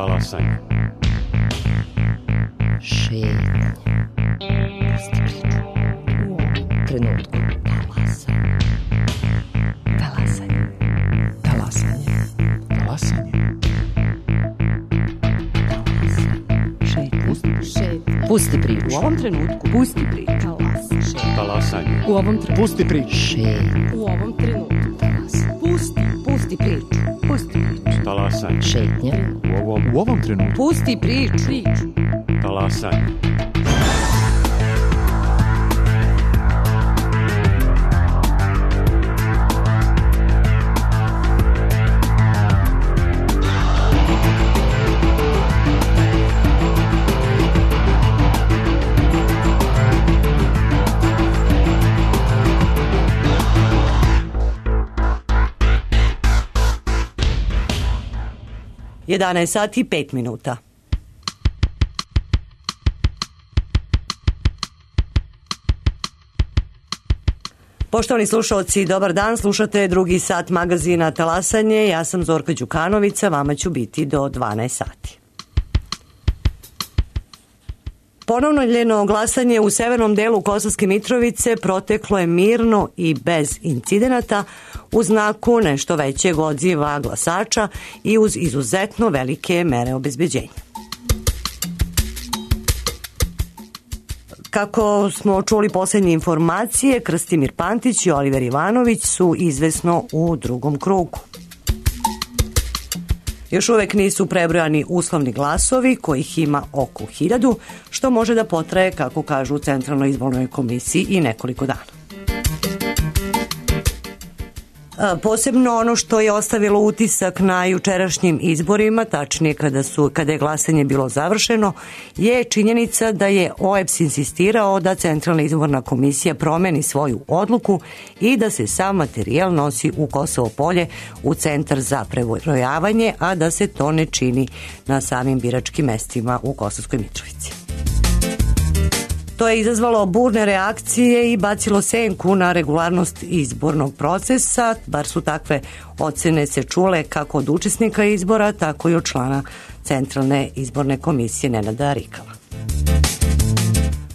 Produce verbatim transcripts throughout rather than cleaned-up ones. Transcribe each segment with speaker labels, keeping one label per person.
Speaker 1: Talasanje.
Speaker 2: Šetnja. Pusti priču. U ovom trenutku. Talasanje. Talasanje. Talasanje.
Speaker 1: Talasanje.
Speaker 2: Šetnja. Pusti priču.
Speaker 3: U ovom trenutku.
Speaker 2: Pusti priču.
Speaker 1: Talasanje.
Speaker 3: U ovom trenutku.
Speaker 1: Pusti priču.
Speaker 2: Šetnja.
Speaker 3: U ovom trenutku. Pusti. Pusti priču. Pusti priču.
Speaker 1: Talasanje.
Speaker 2: Šetnja.
Speaker 1: U ovom, u ovom trenutku.
Speaker 3: Pusti priču. Priču.
Speaker 1: Talasanje.
Speaker 4: jedanaest sati i pet minuta. Poštovani slušalci, dobar dan, slušate drugi sat magazina Talasanje, ja sam Zorka Đukanovića, vama ću biti do dvanaest sati. Ponovljeno glasanje u severnom delu Kosovske Mitrovice proteklo je mirno i bez incidenata u znaku nešto većeg odziva glasača i uz izuzetno velike mere obezbeđenja. Kako smo čuli posljednje informacije, Krstimir Pantić i Oliver Ivanović su izvesno u drugom krugu. Još uvek nisu prebrojani uslovni glasovi, kojih ima oko hiljadu, što može da potraje, kako kažu u Centralnoj izbornoj komisiji, i nekoliko dana. Posebno ono što je ostavilo utisak na jučerašnjim izborima, tačnije kada, su, kada je glasanje bilo završeno, je činjenica da je O E B S insistirao da Centralna izborna komisija promeni svoju odluku i da se sam materijal nosi u Kosovo Polje u centar za prebrojavanje, a da se to ne čini na samim biračkim mestima u Kosovskoj Mitrovici. To je izazvalo burne reakcije i bacilo senku na regularnost izbornog procesa, bar su takve ocene se čule kako od učesnika izbora, tako i od člana Centralne izborne komisije Nenada Rikala.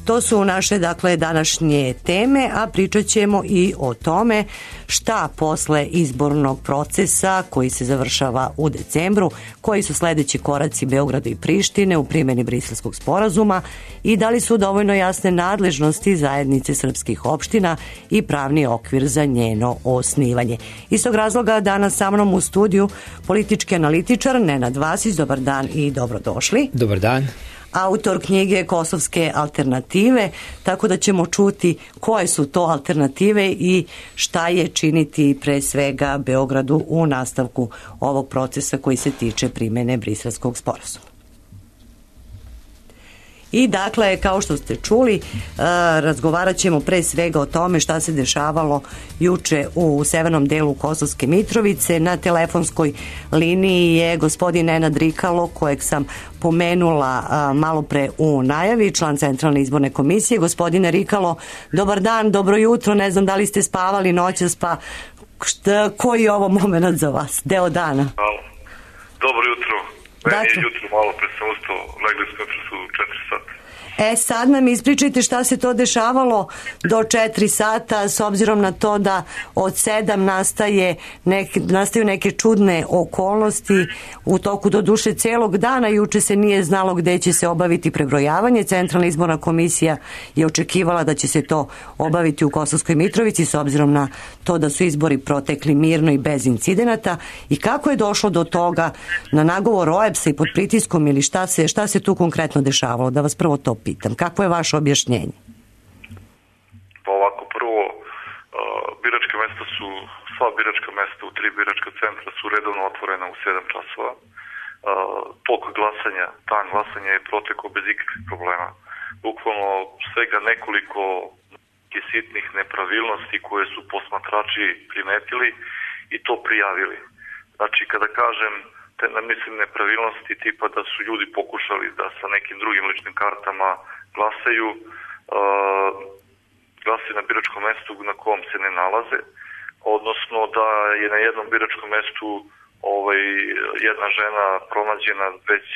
Speaker 4: To su naše, dakle, današnje teme, a pričat ćemo i o tome šta posle izbornog procesa koji se završava u decembru, koji su sledeći koraci Beograda i Prištine u primjeni Briselskog sporazuma i da li su dovoljno jasne nadležnosti zajednice srpskih opština i pravni okvir za njeno osnivanje. Iz tog razloga danas sa mnom u studiju politički analitičar Nenad Vasić. Dobar dan i dobrodošli.
Speaker 5: Dobar dan.
Speaker 4: Autor knjige Kosovske alternative, tako da ćemo čuti koje su to alternative i šta je činiti pre svega Beogradu u nastavku ovog procesa koji se tiče primjene Briselskog sporazuma. I dakle, kao što ste čuli, razgovarat ćemo pre svega o tome šta se dešavalo juče u severnom delu Kosovske Mitrovice. Na telefonskoj liniji je gospodin Nenad Rikalo, kojeg sam pomenula malo pre u najavi, član Centralne izborne komisije. Gospodine Rikalo, dobar dan, dobro jutro, ne znam da li ste spavali noćas, pa šta, koji je ovo moment za vas, deo dana?
Speaker 6: Dobro jutro. Meni je jutro malo pre sam ustao, legli smo su četiri sata.
Speaker 4: E sad nam ispričajte šta se to dešavalo do četiri sata, s obzirom na to da od sedam nastaje neke, nastaju neke čudne okolnosti u toku do duše celog dana. Juče se nije znalo gde će se obaviti prebrojavanje. Centralna izborna komisija je očekivala da će se to obaviti u Kosovskoj Mitrovici, s obzirom na to da su izbori protekli mirno i bez incidenata. I kako je došlo do toga na nagovor O E B S-a i pod pritiskom, ili šta se, šta se tu konkretno dešavalo? Da vas prvo to pitam. Kako je vaše objašnjenje?
Speaker 6: Pa ovako, prvo, uh, biračka mesta su, sva biračka mesta u tri biračka centra su redovno otvorena u sedam časova. Uh, tok glasanja, dan glasanja je protekao bez ikakvih problema. Bukvalno svega nekoliko sitnih nepravilnosti koje su posmatrači primetili i to prijavili. Znači, kada kažem te, mislim, nepravilnosti tipa da su ljudi pokušali da sa nekim drugim ličnim kartama glasaju, uh, glasaju na biračkom mestu na kom se ne nalaze, odnosno da je na jednom biračkom mestu ovaj, jedna žena pronađena već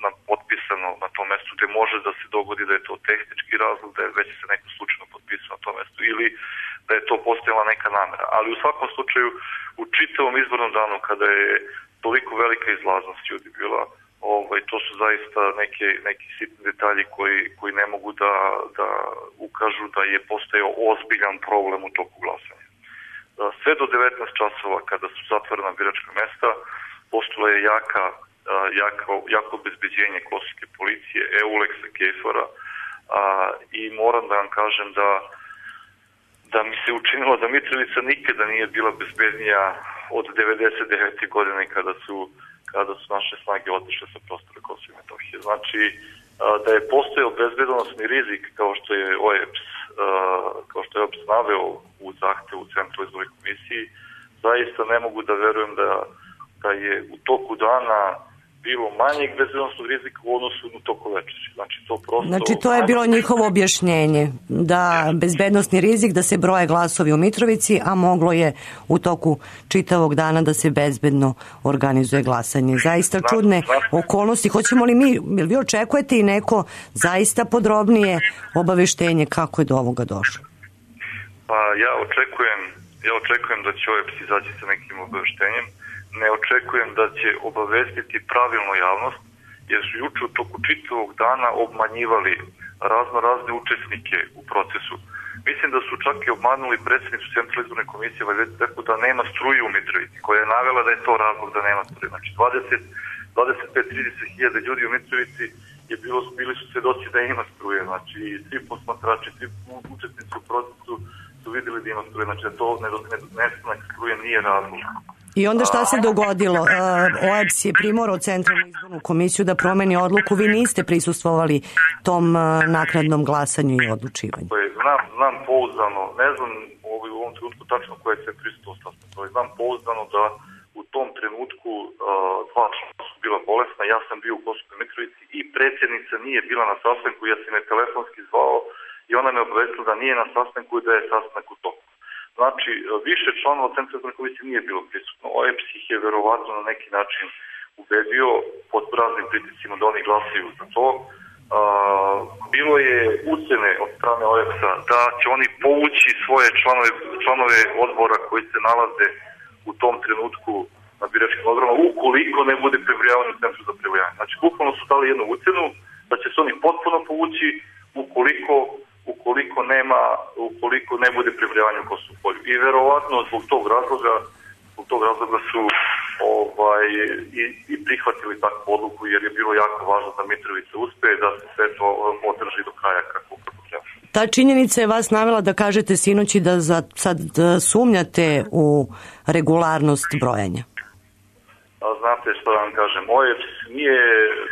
Speaker 6: na, potpisano na tom mestu, gde može da se dogodi da je to tehnički razlog, da je već se neko slučajno potpisao na tom mestu ili da je to postojala neka namera. Ali u svakom slučaju, u čitavom izbornom danu, kada je toliko velika izlaznost ljudi bila, ovaj, to su zaista neke, neki sitni detalji koji, koji ne mogu da, da ukažu da je postojao ozbiljan problem u toku glasanja. Sve do devetnaest časova, kada su zatvorena biračka mesta, postojala je jaka, jako, jako obezbeđenje kosovske policije, Euleksa, Kejfora, i moram da vam kažem da, da mi se učinilo da Mitrovica nikada nije bila bezbednija od devedeset devete godine kada su, kada su naše snage otišle sa prostora Kosova i Metohije. Znači, da je postojao bezbednosni rizik kao što je O E B S kao što je O E B S naveo u zahtevu u Centru izbornoj komisiji, zaista ne mogu da verujem da, da je u toku dana bilo manjeg bezbednosnog rizika u odnosu na toku večeri. Znači, to prosto...
Speaker 4: Znači, to je bilo njihovo objašnjenje, da bezbednosni rizik, da se broje glasovi u Mitrovici, a moglo je u toku čitavog dana da se bezbedno organizuje glasanje. Zaista čudne okolnosti. Hoćemo li mi, ili vi očekujete i neko zaista podrobnije obaveštenje kako je do ovoga došlo?
Speaker 6: Pa ja očekujem, ja očekujem da će O E B S izaći sa nekim obaveštenjem. Ne očekujem da će obavestiti pravilno javnost, jer su juče u toku čitavog dana obmanjivali razno razne učesnike u procesu. Mislim da su čak i obmanuli predsjednicu Centralne izborne komisije, tako da nema struje u Mitrovici, koja je navela da je to razlog da nema struje. Znači dvadeset, dvadeset pet do trideset hiljada ljudi u Mitrovici je bilo, bili su svedoci da ima struje. Znači svi posmatrači, svi učesnici u procesu su vidjeli da ima struje. Znači da to nestanak struje nije razlog.
Speaker 4: I onda šta se dogodilo? O E B S je primorao Centralnu izbornu komisiju da promeni odluku. Vi niste prisustvovali tom naknadnom glasanju i odlučivanju.
Speaker 6: Znam, znam pouzdano, ne znam u ovom trenutku tačno koje se prisustvovalo sastanku, znam pouzdano da u tom trenutku dva člana su bila bolesna, ja sam bio u Kosovskoj Mitrovici i predsjednica nije bila na sastanku, ja sam je telefonski zvao i ona me obavestila da nije na sastanku i da je sastanak u toku. Znači, više članova Centralne izborne komisije nije bilo prisutno. O E B S ih je verovatno na neki način ubedio pod raznim pritiscima da oni glasaju za to. Uh, bilo je ucene od strane O E B S-a da će oni povući svoje članove, članove odbora koji se nalaze u tom trenutku na biračkim odborima ukoliko ne bude prebrojavanje u Centru za prebrojavanje. Znači, bukvalno su dali jednu ucenu da će se oni potpuno povući ukoliko ukoliko nema, ukoliko ne bude prebrojavanje u Kosovu polju. I verovatno zbog tog razloga, zbog tog razloga su ovaj, i, i prihvatili takvu odluku, jer je bilo jako važno da Mitrovica uspe, da se sve to održi do kraja kako, kako treba.
Speaker 4: Ta činjenica je vas navela da kažete sinoći da za, sad da sumnjate u regularnost brojanja.
Speaker 6: A znate što da vam kažem, O E B S nije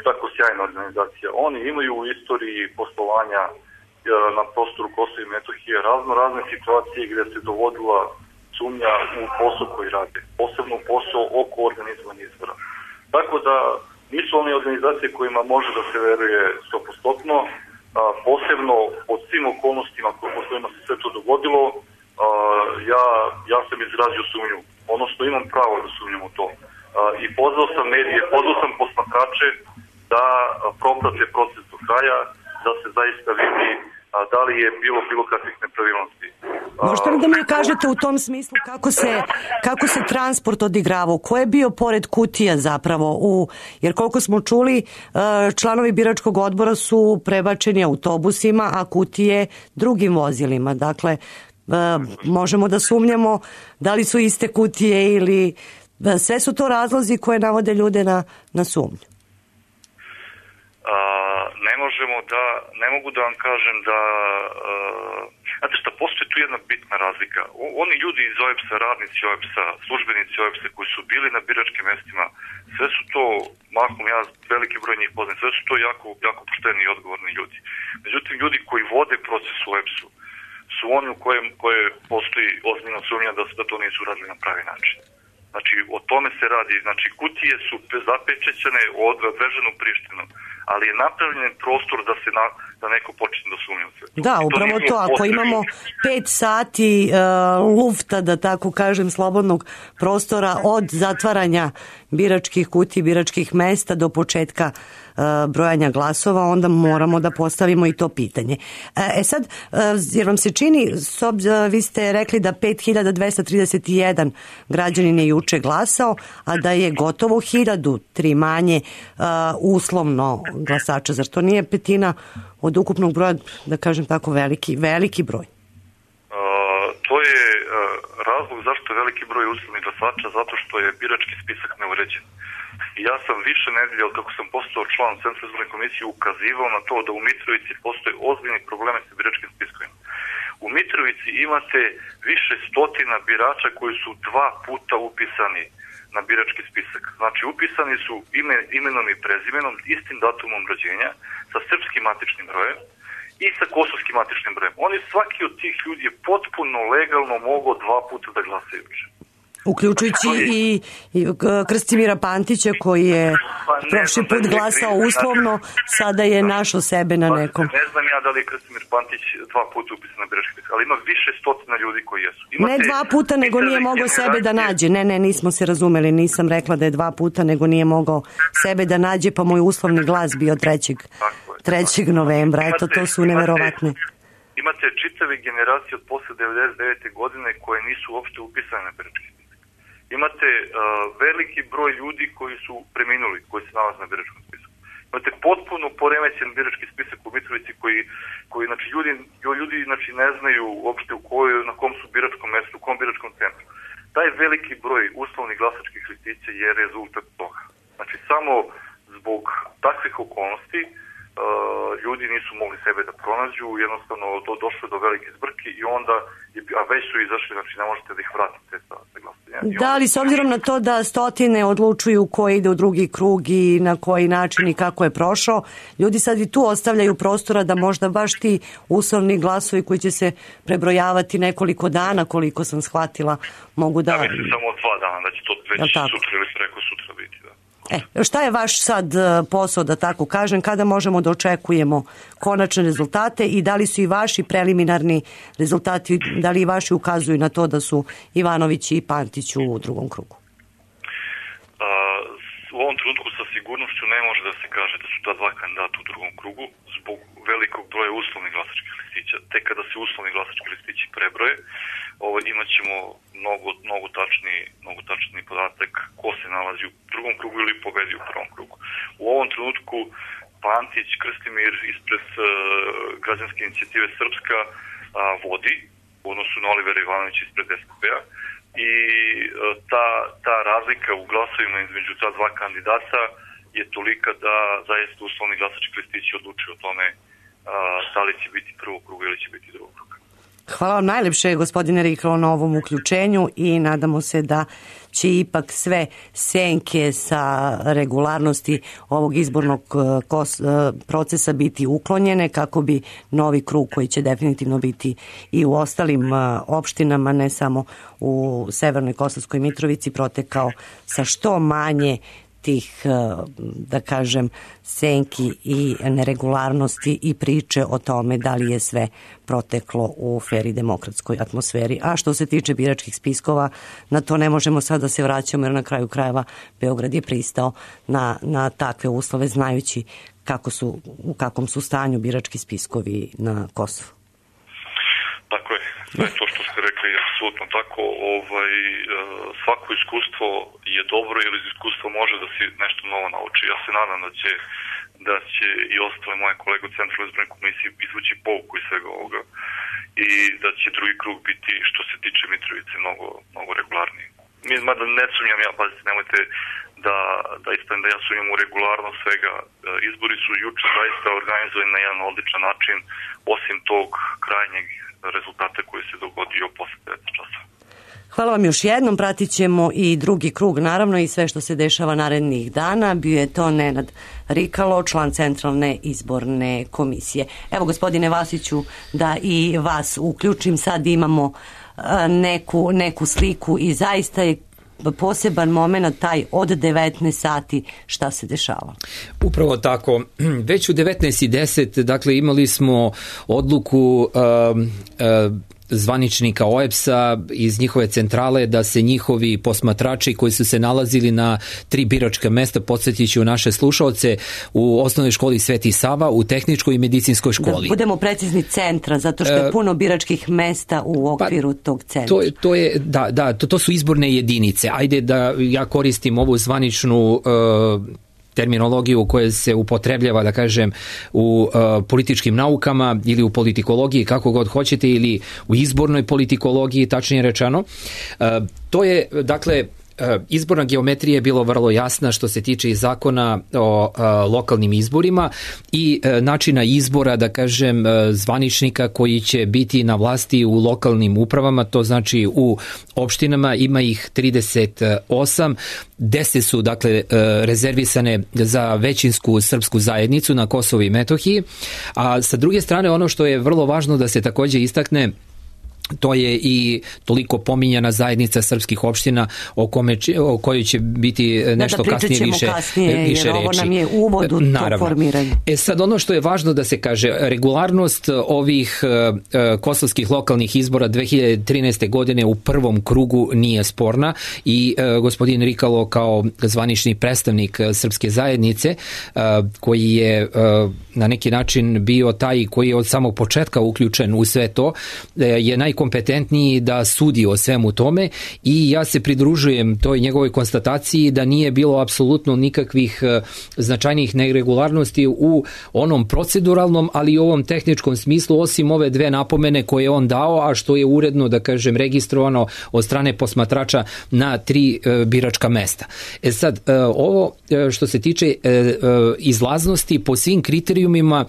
Speaker 6: tako sjajna organizacija. Oni imaju u istoriji poslovanja na prostoru Kosova i Metohije razno razne situacije gdje se dovodila sumnja u posao koji rade, posebno posao oko organizovanja izbora. Tako da nisu one organizacije kojima može da se veruje sto posto, posebno pod svim okolnostima po kojima se sve to dogodilo, ja, ja sam izrazio sumnju, odnosno imam pravo da sumnjam u to. I pozvao sam medije, pozvao sam posmatrače da proprate proces do kraja, da se zaista vidi a, da li je bilo bilo kakvih nepravilnosti.
Speaker 4: Možete li da mi kažete u tom smislu kako se, kako se transport odigravao? Ko je bio pored kutija zapravo? U, jer koliko smo čuli, članovi biračkog odbora su prebačeni autobusima, a kutije drugim vozilima. Dakle, možemo da sumnjamo da li su iste kutije ili... Sve su to razlozi koje navode ljude na, na sumnju.
Speaker 6: A, ne možemo da, ne mogu da vam kažem da, a, znate šta, postoji tu jedna bitna razlika. O, oni ljudi iz O E B S-a, radnici O E B S-a, službenici O E B S-a koji su bili na biračkim mestima, sve su to, mahom ja veliki broj njih poznam, sve su to jako, jako pošteni i odgovorni ljudi. Međutim, ljudi koji vode proces u O E B S-u su oni u kojem, koje postoji ozbiljna sumnja da, da to nisu uradili na pravi način. Znači, o tome se radi. Znači, kutije su zapečećene, odvežene u Prištinu, ali je napravljen prostor da se, na, da neko počne da sumnja u sve.
Speaker 4: Da, upravo to, ako imamo pet sati uh, lufta, da tako kažem, slobodnog prostora od zatvaranja biračkih kutija, biračkih mesta do početka uh, brojanja glasova, onda moramo da postavimo i to pitanje. E sad, uh, jer vam se čini, sob, uh, vi ste rekli da pet hiljada dvesta trideset jedan građanin je juče glasao, a da je gotovo hiljadu, tri manje, uh, uslovno glasača. Zar to nije petina od ukupnog broja, da kažem tako, veliki, veliki broj?
Speaker 6: Uh, to je uh, razlog zašto je veliki broj uslovnih glasača, zato što je birački spisak neuređen. I ja sam više nedelja, od kako sam postao član Centralne izborne komisije, ukazivao na to da u Mitrovici postoje ozbiljni probleme sa biračkim spiskovima. U Mitrovici imate više stotina birača koji su dva puta upisani na birački spisak. Znači, upisani su ime, imenom i prezimenom, istim datumom rođenja, sa srpskim matičnim brojem i sa kosovskim matičnim brojem. Oni, svaki od tih ljudi je potpuno legalno mogao dva puta da glasaju.
Speaker 4: Uključujući i, i Krstimira Pantića, koji je
Speaker 6: pa
Speaker 4: prošli put glasao uslovno, sada je našao sebe na nekom.
Speaker 6: Ne znam ja da li je Krstimir Pantić dva puta upisan na birački spisak, ali ima više stotina ljudi koji jesu. Imate,
Speaker 4: ne dva puta, nego nije mogao sebe da nađe. Ne, ne, nismo se razumeli, nisam rekla da je dva puta, nego nije mogao sebe da nađe, pa moj uslovni glas bio trećeg novembra. Eto, to su neverovatne.
Speaker 6: Imate čitave generacije od posle devedeset devete godine koje nisu uopšte upisane na birački spisak. Imate uh, veliki broj ljudi koji su preminuli, koji se nalaze na biračkom spisku. Imate potpuno poremećen birački spisak u Mitrovici koji, koji znači, ljudi, ljudi znači, ne znaju uopšte u kojoj, na kom su biračkom mestu, u kom biračkom centru. Taj veliki broj uslovnih glasačkih listića je rezultat toga. Znači, samo zbog takvih okolnosti uh, ljudi nisu mogli sebe da pronađu, jednostavno do, došlo do velike zbrke i onda, a već su izašli, znači ne možete da ih vratite sa, sa glasanjem.
Speaker 4: Da, ali s obzirom na to da stotine odlučuju ko ide u drugi krug i na koji način i kako je prošao, ljudi sad i tu ostavljaju prostora da možda baš ti uslovni glasovi koji će se prebrojavati nekoliko dana, koliko sam shvatila, mogu da...
Speaker 6: Da, mislim samo dva dana, da će to već sutra ili preko sutra biti, da.
Speaker 4: E, šta je vaš sad posao, da tako kažem, kada možemo da očekujemo konačne rezultate i da li su i vaši preliminarni rezultati, da li i vaši ukazuju na to da su Ivanović i Pantić u drugom krugu?
Speaker 6: A, u ovom trenutku sa sigurnošću ne može da se kaže da su ta dva kandidata u drugom krugu zbog velikog broja uslovnih glasačkih listića. Tek kada se uslovni glasački listići prebroje, ovo, imat ćemo mnogo, mnogo, tačni, mnogo tačni podatak ko se nalazi u drugom krugu ili pobedi u prvom krugu. U ovom trenutku Pantić, Krstimir ispred uh, građanske inicijative Srpska uh, vodi u odnosu na Olivera Ivanovića ispred es pe pe-a i uh, ta, ta razlika u glasovima između ta dva kandidata je tolika da zaista uslovni glasački listići odlučuju o tome uh, da li će biti prvog kruga ili će biti drugog kruga.
Speaker 4: Hvala vam najlepše, gospodine Riklo, na ovom uključenju i nadamo se da će ipak sve senke sa regularnosti ovog izbornog procesa biti uklonjene kako bi novi krug, koji će definitivno biti i u ostalim opštinama, ne samo u Severnoj Kosovskoj Mitrovici, protekao sa što manje tih, da kažem, senki i neregularnosti i priče o tome da li je sve proteklo u fer i demokratskoj atmosferi. A što se tiče biračkih spiskova, na to ne možemo sad da se vraćamo, jer na kraju krajeva Beograd je pristao na, na takve uslove, znajući kako su, u kakvom su stanju birački spiskovi na Kosovu.
Speaker 6: Tako je. Sve to što ste rekli je apsolutno tako. Ovaj, svako iskustvo je dobro, jer iz iskustva može da se nešto novo nauči. Ja se nadam da će, da će i ostale moje kolege u Centralnoj izbornoj komisiji izvući pouku iz svega ovoga i da će drugi krug biti, što se tiče Mitrovice, mnogo, mnogo regularniji. Mi, mada ne sumnjam ja, pazite, nemojte da, da ispravim da ja sumnjam u regularnost svega. Izbori su juče zaista organizovani na jedan odličan način, osim tog krajnjeg rezultata koji se dogodio posle devet časova.
Speaker 4: Hvala vam još jednom, pratit ćemo i drugi krug naravno i sve što se dešava narednih dana. Bio je to Nenad Rikalo, član Centralne izborne komisije. Evo, gospodine Vasiću, da i vas uključim, sad imamo neku, neku sliku i zaista je poseban moment, taj od devetnaest sati, šta se dešava?
Speaker 5: Upravo tako. Već u devetnaest i deset, dakle, imali smo odluku uh, uh, zvaničnika O E B S-a iz njihove centrale da se njihovi posmatrači koji su se nalazili na tri biračka mesta, podsjetit ću naše slušaoce, u osnovnoj školi Sveti Sava, u tehničkoj i medicinskoj školi.
Speaker 4: Da budemo precizni, centra, zato što je puno biračkih mesta u okviru pa, tog centra.
Speaker 5: To, to je, da, da, to, to su izborne jedinice. Ajde da ja koristim ovu zvaničnu uh, terminologiju koja se upotrebljava, da kažem, u uh, političkim naukama ili u politikologiji, kako god hoćete, ili u izbornoj politikologiji, tačnije rečeno. Uh, to je, dakle, izborna geometrija je bilo vrlo jasna što se tiče i zakona o a, lokalnim izborima i a, načina izbora, da kažem, a, zvaničnika koji će biti na vlasti u lokalnim upravama, to znači u opštinama, ima ih trideset osam, deset su, dakle, rezervisane za većinsku srpsku zajednicu na Kosovu i Metohiji, a sa druge strane ono što je vrlo važno da se takođe istakne, to je i toliko pominjana zajednica srpskih opština o, kome, o kojoj će biti nešto da, da kasnije više,
Speaker 4: kasnije,
Speaker 5: više
Speaker 4: jer
Speaker 5: reči.
Speaker 4: Ovo nam je uvod u to formiranje.
Speaker 5: E sad, ono što je važno da se kaže, regularnost ovih uh, kosovskih lokalnih izbora dve hiljade trinaeste. godine u prvom krugu nije sporna i uh, gospodin Rikalo kao zvanični predstavnik srpske zajednice uh, koji je uh, na neki način bio taj koji je od samog početka uključen u sve to, uh, je naj kompetentniji da sudi o svemu tome i ja se pridružujem toj njegovoj konstataciji da nije bilo apsolutno nikakvih značajnih neregularnosti u onom proceduralnom, ali i ovom tehničkom smislu, osim ove dve napomene koje je on dao, a što je uredno, da kažem, registrovano od strane posmatrača na tri biračka mesta. E sad, ovo što se tiče izlaznosti po svim kriterijumima,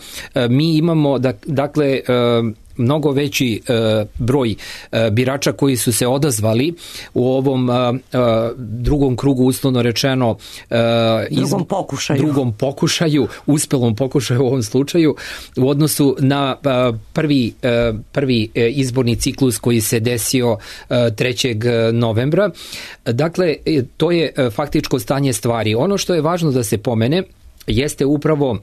Speaker 5: mi imamo, dakle, mnogo veći e, broj e, birača koji su se odazvali u ovom e, drugom krugu, uslovno rečeno, e,
Speaker 4: drugom pokušaju.
Speaker 5: drugom pokušaju, uspelom pokušaju u ovom slučaju, u odnosu na e, prvi, e, prvi izborni ciklus koji se desio e, trećeg novembra. Dakle, to je faktičko stanje stvari. Ono što je važno da se pomene jeste upravo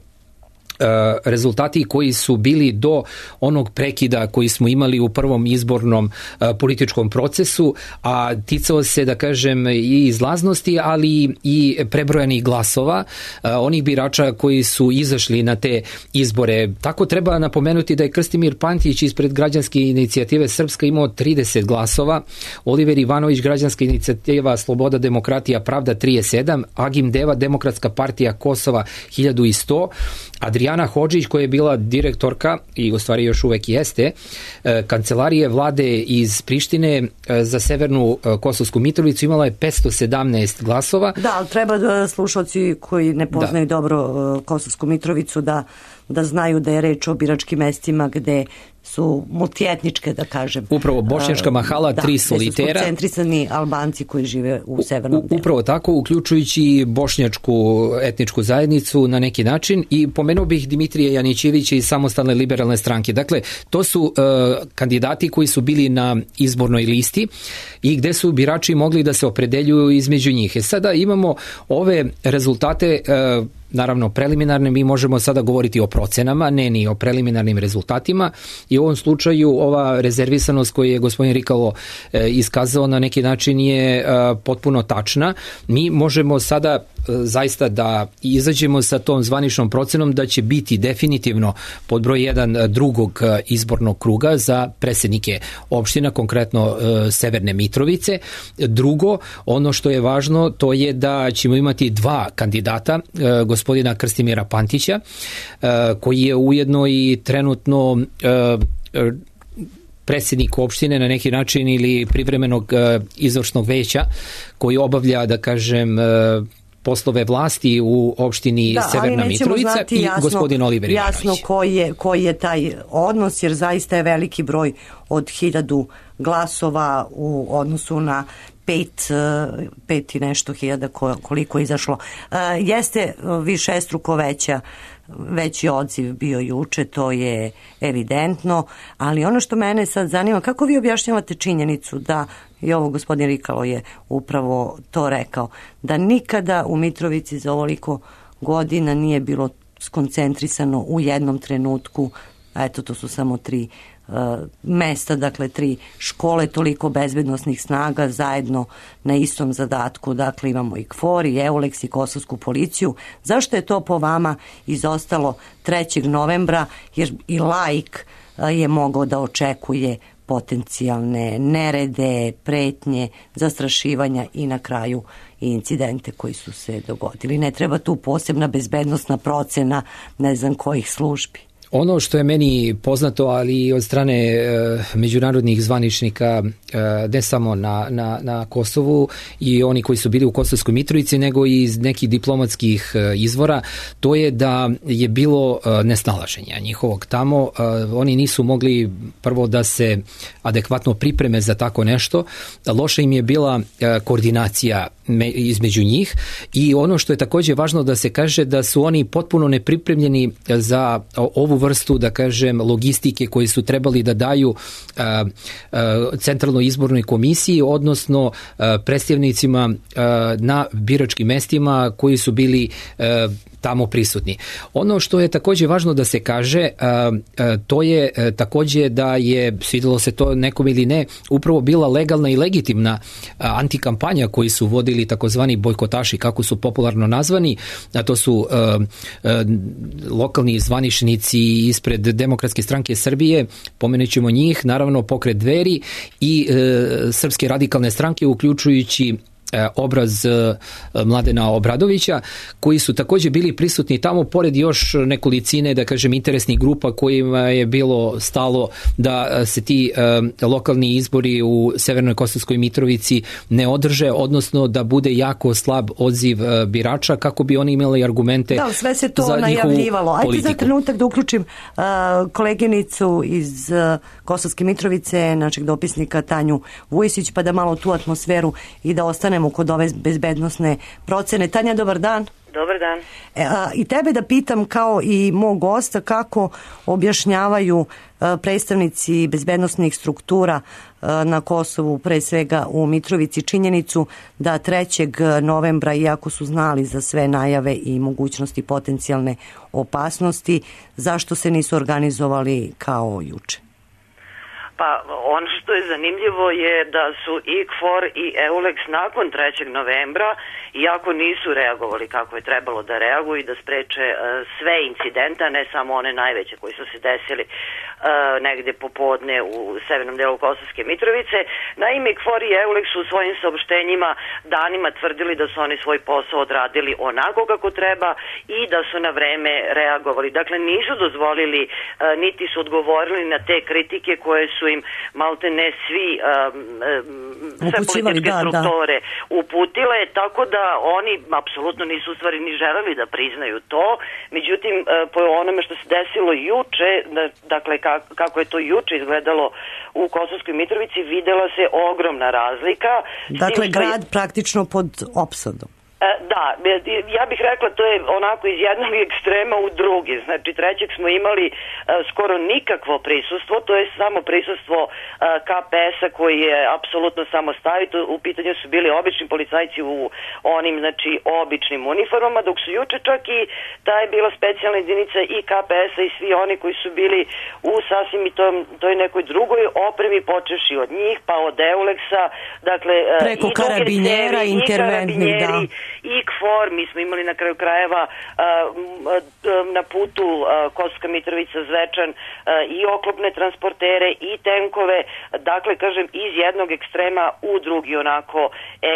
Speaker 5: rezultati koji su bili do onog prekida koji smo imali u prvom izbornom političkom procesu, a ticao se, da kažem, i izlaznosti, ali i prebrojanih glasova onih birača koji su izašli na te izbore. Tako treba napomenuti da je Krstimir Pantić ispred Građanske inicijative Srpska imao trideset glasova, Oliver Ivanović, Građanska inicijativa Sloboda, demokratija, pravda trideset sedam, Agim Deva, Demokratska partija Kosova hiljadu sto, Adriana Hodžić, koja je bila direktorka i u stvari još uvek jeste kancelarije vlade iz Prištine za severnu Kosovsku Mitrovicu, imala je petsto sedamnaest glasova.
Speaker 4: Da, ali treba da slušalci koji ne poznaju da. dobro Kosovsku Mitrovicu da, da znaju da je reč o biračkim mestima gde su multietničke, da kažem.
Speaker 5: Upravo Bošnjačka mahala, da, tri solitera. Da, gde su koncentrisani Albanci koji žive u severnom delu. Upravo tako, uključujući bošnjačku etničku zajednicu na neki način, i pomenuo bih Dimitrija Janićevića iz Samostalne liberalne stranke. Dakle, to su uh, kandidati koji su bili na izbornoj listi i gde su birači mogli da se opredeljuju između njih. E sada imamo ove rezultate, uh, naravno preliminarne, mi možemo sada govoriti o procenama, ne ni o preliminarnim rezultatima, i u ovom slučaju ova rezervisanost koju je gospodin Rikalo e, iskazao na neki način je e, potpuno tačna. Mi možemo sada e, zaista da izađemo sa tom zvaničnom procenom da će biti definitivno pod broj jedan drugog izbornog kruga za predsednike opština, konkretno e, Severne Mitrovice. Drugo, ono što je važno, to je da ćemo imati dva kandidata, e, gospodina Krstimira Pantića, koji je ujedno i trenutno predsjednik opštine na neki način ili privremenog izvršnog veća koji obavlja, da kažem, poslove vlasti u opštini da, Severna Mitrovica i jasno, gospodin Oliver Ivanović.
Speaker 4: Jasno koji je, koji je taj odnos, jer zaista je veliki broj od hiljadu glasova u odnosu na pet, pet i nešto hiljada koliko je izašlo. Jeste višestruko veća veći odziv bio juče, to je evidentno, ali ono što mene sad zanima, kako vi objašnjavate činjenicu da i ovo gospodin Rikalo je upravo to rekao, da nikada u Mitrovici za ovoliko godina nije bilo skoncentrisano u jednom trenutku, a eto to su samo tri uh, mesta, dakle tri škole, toliko bezbednosnih snaga zajedno na istom zadatku, dakle imamo i KFOR i EULEX i Kosovsku policiju. Zašto je to po vama izostalo trećeg novembra, jer i laik uh, je mogao da očekuje potencijalne nerede, pretnje, zastrašivanja i na kraju i incidente koji su se dogodili. Ne treba tu posebna bezbednosna procena ne znam kojih službi.
Speaker 5: Ono što je meni poznato, ali i od strane e, međunarodnih zvaničnika, e, ne samo na, na, na Kosovu i oni koji su bili u Kosovskoj Mitrovici, nego i iz nekih diplomatskih e, izvora, to je da je bilo e, nesnalaženja njihovog tamo. E, oni nisu mogli prvo da se adekvatno pripreme za tako nešto. Loša im je bila e, koordinacija me, između njih i ono što je također važno da se kaže da su oni potpuno nepripremljeni za ovu vrstu, da kažem, logistike koji su trebali da daju a, a, centralnoj izbornoj komisiji, odnosno a, predstavnicima a, na biračkim mestima koji su bili a, tamo prisutni. Ono što je također važno da se kaže, a, a, to je a, također da je, svidjelo se to nekom ili ne, upravo bila legalna i legitimna a, antikampanja koji su vodili takozvani bojkotaši, kako su popularno nazvani, a to su a, a, lokalni zvaničnici ispred Demokratske stranke Srbije, pomenut ćemo njih, naravno Pokret Dveri i e, Srpske radikalne stranke, uključujući obraz Mladena Obradovića, koji su također bili prisutni tamo, pored još nekolicine, da kažem, interesnih grupa kojima je bilo stalo da se ti uh, lokalni izbori u Severnoj Kosovskoj Mitrovici ne održe, odnosno da bude jako slab odziv uh, birača, kako bi oni imali argumente za njihovu politiku. Da, sve se to najavljivalo. Ajde za trenutak da uključim uh, koleginicu iz uh, Kosovske Mitrovice, našeg dopisnika Tanju Vujisić, pa da malo tu atmosferu i da ostane kod ove bezbednosne procene. Tanja, dobar dan.
Speaker 7: Dobar dan.
Speaker 4: E, a, i tebe da pitam kao i mog gosta kako objašnjavaju a, predstavnici bezbednosnih struktura a, na Kosovu, pre svega u Mitrovici, činjenicu da trećeg novembra, iako su znali za sve najave i mogućnosti potencijalne opasnosti, zašto se nisu organizovali kao juče?
Speaker 7: Pa ono što je zanimljivo je da su i KFOR i EULEX nakon trećeg novembra, iako nisu reagovali kako je trebalo da reaguju i da spreče uh, sve incidenta, ne samo one najveće koji su se desili uh, negde popodne u severnom delu Kosovske Mitrovice. Naime, KFOR i EULEX su u svojim saopštenjima danima tvrdili da su oni svoj posao odradili onako kako treba i da su na vreme reagovali. Dakle, nisu dozvolili, uh, niti su odgovorili na te kritike koje su im malte ne svi um, um, sve političke da, strukture da. uputile, tako da oni apsolutno nisu u stvari ni želeli da priznaju to. Međutim, uh, po onome što se desilo juče, da, dakle kako je to juče izgledalo u Kosovskoj Mitrovici, videla se ogromna razlika.
Speaker 4: Dakle,
Speaker 7: tim,
Speaker 4: grad je praktično pod opsadom.
Speaker 7: Da, ja bih rekla to je onako iz jednog ekstrema u drugi. Znači trećeg smo imali uh, skoro nikakvo prisustvo, to je samo prisustvo uh, K P S-a koji je apsolutno samostavit. U pitanju su bili obični policajci u onim, znači, običnim uniformama, dok su juče čak i ta je bila specijalna jedinica i K P S-a i svi oni koji su bili u sasvim i toj, toj nekoj drugoj opremi, počeši od njih, pa od EULEX-a, dakle
Speaker 4: preko
Speaker 7: i
Speaker 4: karabinjera,
Speaker 7: sebi,
Speaker 4: interventnih, da.
Speaker 7: I KFOR, mi smo imali na kraju krajeva uh, na putu uh, Kosovska Mitrovica Zvečan uh, i oklopne transportere i tenkove, dakle kažem iz jednog ekstrema u drugi onako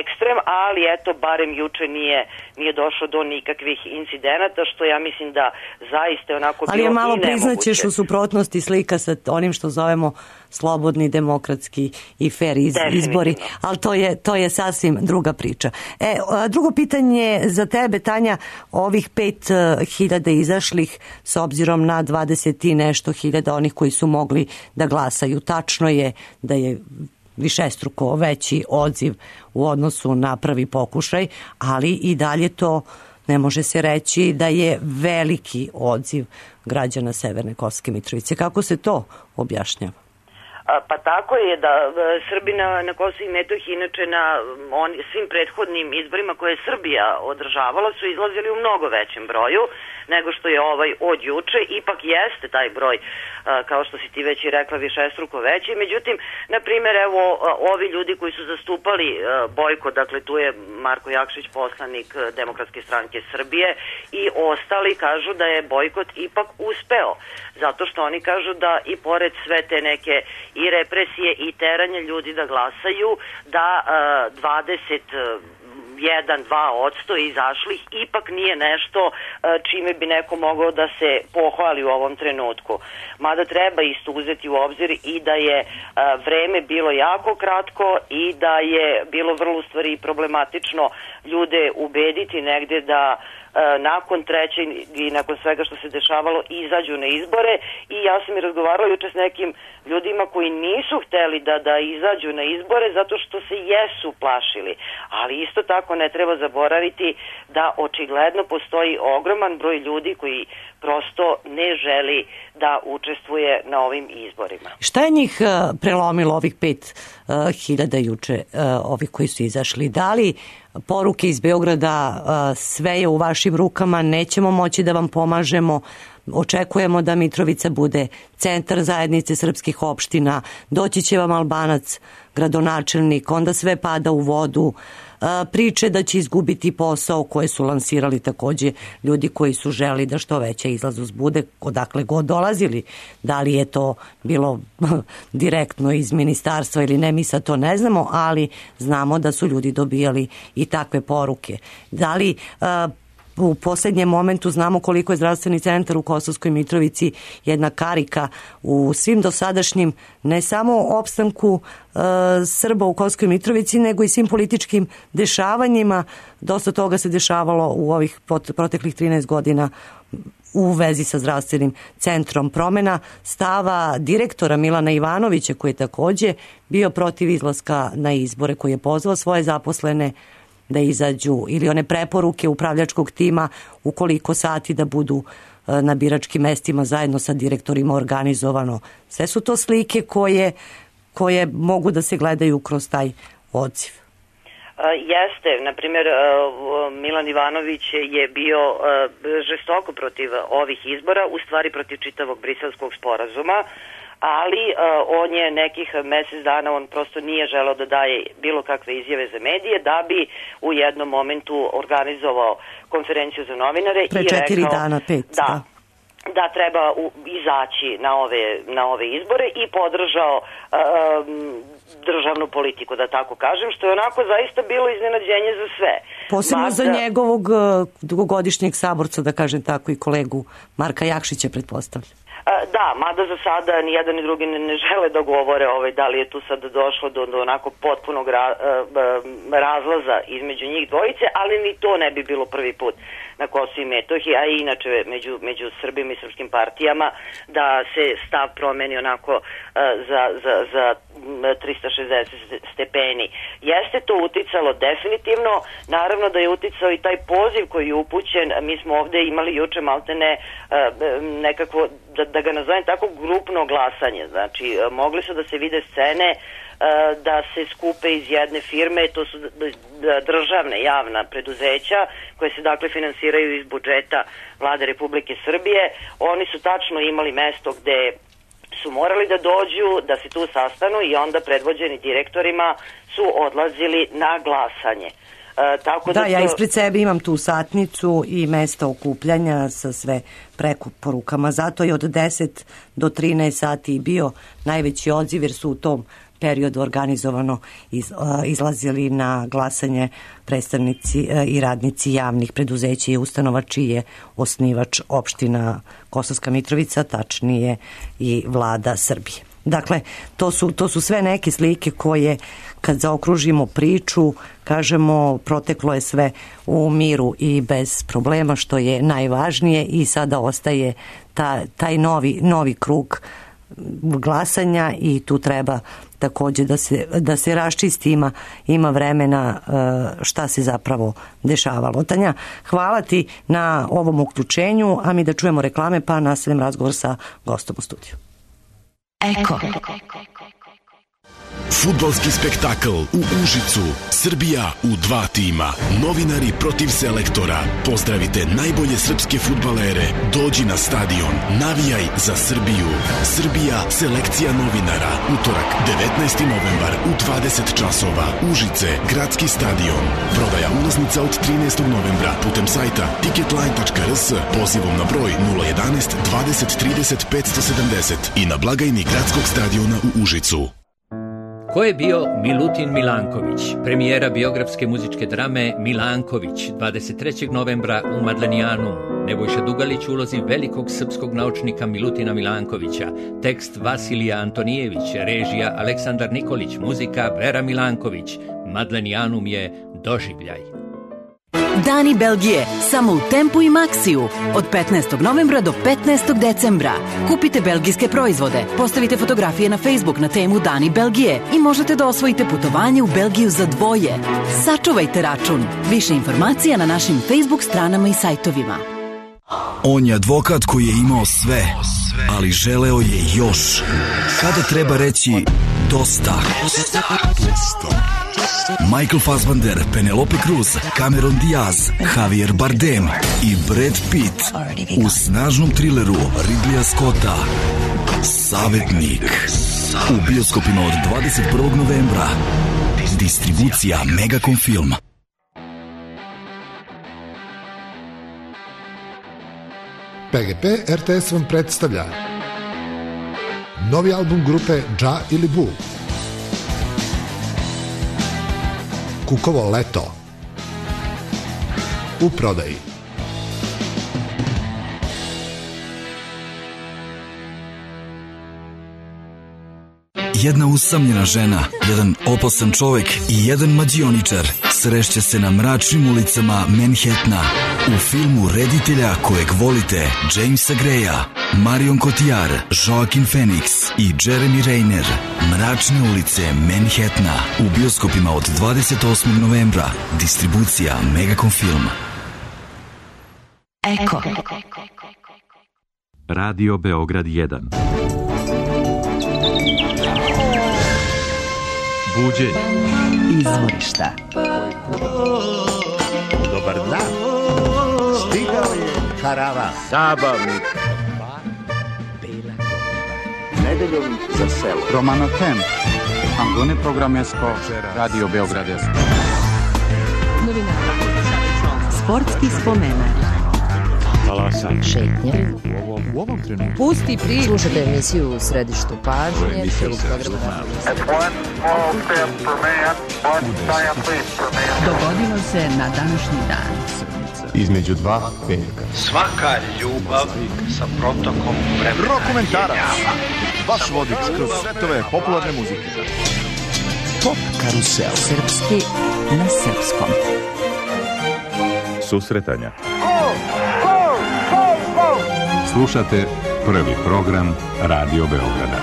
Speaker 7: ekstrem, ali eto barem juče nije, nije došlo do nikakvih incidenata, što ja mislim da zaista onako bilo i nemoguće.
Speaker 4: Ali je malo priznaćeš u suprotnosti slika sa onim što zovemo slobodni, demokratski i fair iz, izbori, ali to je, to je sasvim druga priča. E, drugo pitanje za tebe, Tanja, ovih pet hiljada izašlih s obzirom na dvadeset i nešto hiljada onih koji su mogli da glasaju. Tačno je da je višestruko veći odziv u odnosu na prvi pokušaj, ali i dalje to ne može se reći da je veliki odziv građana Severne Kosovske Mitrovice. Kako se to objašnjava?
Speaker 7: Pa tako je da Srbi na, na Kosovu i Metohiji inače na on, svim prethodnim izborima koje je Srbija održavala su izlazili u mnogo većem broju nego što je ovaj od juče. Ipak jeste taj broj, kao što si ti već i rekla, višestruko veći. Međutim, na primjer, evo, ovi ljudi koji su zastupali bojkot, dakle tu je Marko Jakšić, poslanik Demokratske stranke Srbije, i ostali kažu da je bojkot ipak uspeo. Zato što oni kažu da i pored sve te neke i represije i teranje ljudi da glasaju, da dvadeset jedan, dva odsto izašlih ipak nije nešto čime bi neko mogao da se pohvali u ovom trenutku. Mada treba isto uzeti u obzir i da je vreme bilo jako kratko i da je bilo vrlo u stvari problematično ljude ubediti negde da nakon treće i nakon svega što se dešavalo izađu na izbore. I ja sam i razgovarala juče s nekim ljudima koji nisu hteli da, da izađu na izbore zato što se jesu plašili. Ali isto tako ne treba zaboraviti da očigledno postoji ogroman broj ljudi koji prosto ne želi da učestvuje na ovim izborima.
Speaker 4: Šta je njih prelomilo, ovih pet hiljada juče, ovi koji su izašli? Da li poruke iz Beograda sve je u vašim rukama, nećemo moći da vam pomažemo, očekujemo da Mitrovica bude centar zajednice srpskih opština, doći će vam Albanac, gradonačelnik, onda sve pada u vodu, priče da će izgubiti posao koje su lansirali takođe ljudi koji su želi da što veća izlaznost bude, odakle god dolazili. Da li je to bilo direktno iz ministarstva ili ne, mi sad to ne znamo, ali znamo da su ljudi dobijali i takve poruke. Da li u poslednjem momentu znamo koliko je zdravstveni centar u Kosovskoj Mitrovici jedna karika u svim dosadašnjim, ne samo opstanku e, Srba u Kosovskoj Mitrovici, nego i svim političkim dešavanjima. Dosta toga se dešavalo u ovih proteklih trinaest godina u vezi sa zdravstvenim centrom. Promena stava direktora Milana Ivanovića, koji je takođe bio protiv izlaska na izbore, koji je pozvao svoje zaposlene da izađu, ili one preporuke upravljačkog tima u koliko sati da budu na biračkim mestima zajedno sa direktorima organizovano. Sve su to slike koje, koje mogu da se gledaju kroz taj odziv.
Speaker 7: Jeste, na primjer, Milan Ivanović je bio žestoko protiv ovih izbora, u stvari protiv čitavog briselskog sporazuma, ali uh, on je nekih mesec dana, on prosto nije želeo da daje bilo kakve izjave za medije, da bi u jednom momentu organizovao konferenciju za novinare.
Speaker 4: Pre
Speaker 7: i
Speaker 4: četiri
Speaker 7: rekao,
Speaker 4: dana, pet.
Speaker 7: Da,
Speaker 4: da.
Speaker 7: da treba u, izaći na ove, na ove izbore i podržao um, državnu politiku, da tako kažem, što je onako zaista bilo iznenađenje za sve.
Speaker 4: Posebno
Speaker 7: Mada,
Speaker 4: za njegovog uh, dugogodišnjeg saborca, da kažem tako, i kolegu Marka Jakšića, pretpostavljam.
Speaker 7: Da, mada za sada ni jedan ni drugi ne, ne žele da govore ovaj, da li je tu sad došlo do, do onako potpunog ra, razlaza između njih dvojice, ali ni to ne bi bilo prvi put na Kosovu i Metohiji, a i inače među, među Srbima i srpskim partijama, da se stav promeni onako za, za, za trista šezdeset stepeni. Jeste to uticalo definitivno, naravno da je uticao i taj poziv koji je upućen, mi smo ovde imali juče maltene nekakvo, da, da ga nazovem tako, grupno glasanje, znači mogli su da se vide scene da se skupe iz jedne firme, to su državne javna preduzeća koje se dakle finansiraju iz budžeta Vlade Republike Srbije. Oni su tačno imali mesto gde su morali da dođu, da se tu sastanu i onda predvođeni direktorima su odlazili na glasanje. E, tako
Speaker 4: da,
Speaker 7: da to...
Speaker 4: ja ispred sebe imam tu satnicu i mesta okupljanja sa sve preporukama. Zato je od deset do trinaest sati bio najveći odziv, jer su u tom periodu organizovano iz, izlazili na glasanje predstavnici i radnici javnih preduzeća i ustanova čiji je osnivač opština Kosovska Mitrovica, tačnije i vlada Srbije. Dakle, to su, to su sve neke slike koje, kad zaokružimo priču, kažemo proteklo je sve u miru i bez problema, što je najvažnije, i sada ostaje ta, taj novi, novi krug glasanja i tu treba takođe da se, da se raščisti, ima, ima vremena šta se zapravo dešavalo. Tanja, hvala ti na ovom uključenju, a mi da čujemo reklame pa nastavim razgovor sa gostom u studiju.
Speaker 2: Eko.
Speaker 8: Fudbalski spektakl u Užicu. Srbija u dva tima. Novinari protiv selektora. Pozdravite najbolje srpske fudbalere. Dođi na stadion. Navijaj za Srbiju. Srbija, selekcija novinara. Utorak, devetnaesti novembar u dvadeset časova. Užice, gradski stadion. Prodaja ulaznica od trinaestog novembra putem sajta ticketline tačka r s, pozivom na broj nula jedanaest dvadeset trideset petsto sedamdeset i na blagajni gradskog stadiona u Užicu.
Speaker 9: Ko je bio Milutin Milanković? Premijera biografske muzičke drame Milanković, dvadeset trećeg novembra u Madlenijanu. Nebojša Dugalić u ulozi velikog srpskog naučnika Milutina Milankovića. Tekst Vasilija Antonijević, režija Aleksandar Nikolić, muzika Vera Milanković. Madlenijanum je doživljaj.
Speaker 10: Dani Belgije, samo u Tempu i Maxiju, od petnaestog novembra do petnaestog decembra. Kupite belgijske proizvode, postavite fotografije na Facebook na temu Dani Belgije i možete da osvojite putovanje u Belgiju za dvoje. Sačuvajte račun. Više informacija na našim Facebook stranama i sajtovima.
Speaker 11: On je advokat koji je imao sve, ali želeo je još. Kada treba reći dosta? Michael Fassbender, Penelope Cruz, Cameron Diaz, Javier Bardem i Brad Pitt u snažnom trileru Ridleya Scotta Savetnik. U bioskopima od dvadeset prvog novembra. Distribucija Megacom Film.
Speaker 12: P G P R T S vam predstavlja novi album grupe Dža ili Bu. Kukovo leto. U prodaji.
Speaker 11: Jedna usamljena žena, jedan opasan čovek i jedan mađioničar srešće se na mračnim ulicama Manhattana u filmu reditelja kojeg volite Jamesa Greya, Marion Cotillard, Joaquin Phoenix i Jeremy Renner. Mračne ulice Manhattana u bioskopima od dvadeset osmog novembra. Distribucija Megacom Film.
Speaker 2: Eko.
Speaker 1: Radio Beograd jedan. Buđenje.
Speaker 2: Izvorišta.
Speaker 13: Dobar dan. Stigao je karavan. Zabavnik. Nedeljom za selo.
Speaker 14: Romano Tem. Angone Programesko. Radio Beograd.
Speaker 2: Novina. Sportski spomenak.
Speaker 1: Talasanje.
Speaker 2: Šetnje.
Speaker 1: U ovom, u ovom trenutku.
Speaker 2: Pusti priču. Slušajte emisiju u središtu pažnje. Dogodilo se na današnji dan.
Speaker 15: Između dva petka.
Speaker 16: Svaka ljubav sa protokom vremena.
Speaker 15: Rokomentarac. Vaš vodič kroz svetove popularne muzike.
Speaker 2: Pop karusel. Srpski na srpskom.
Speaker 15: Susretanja. Slušate prvi program Radio Beograda.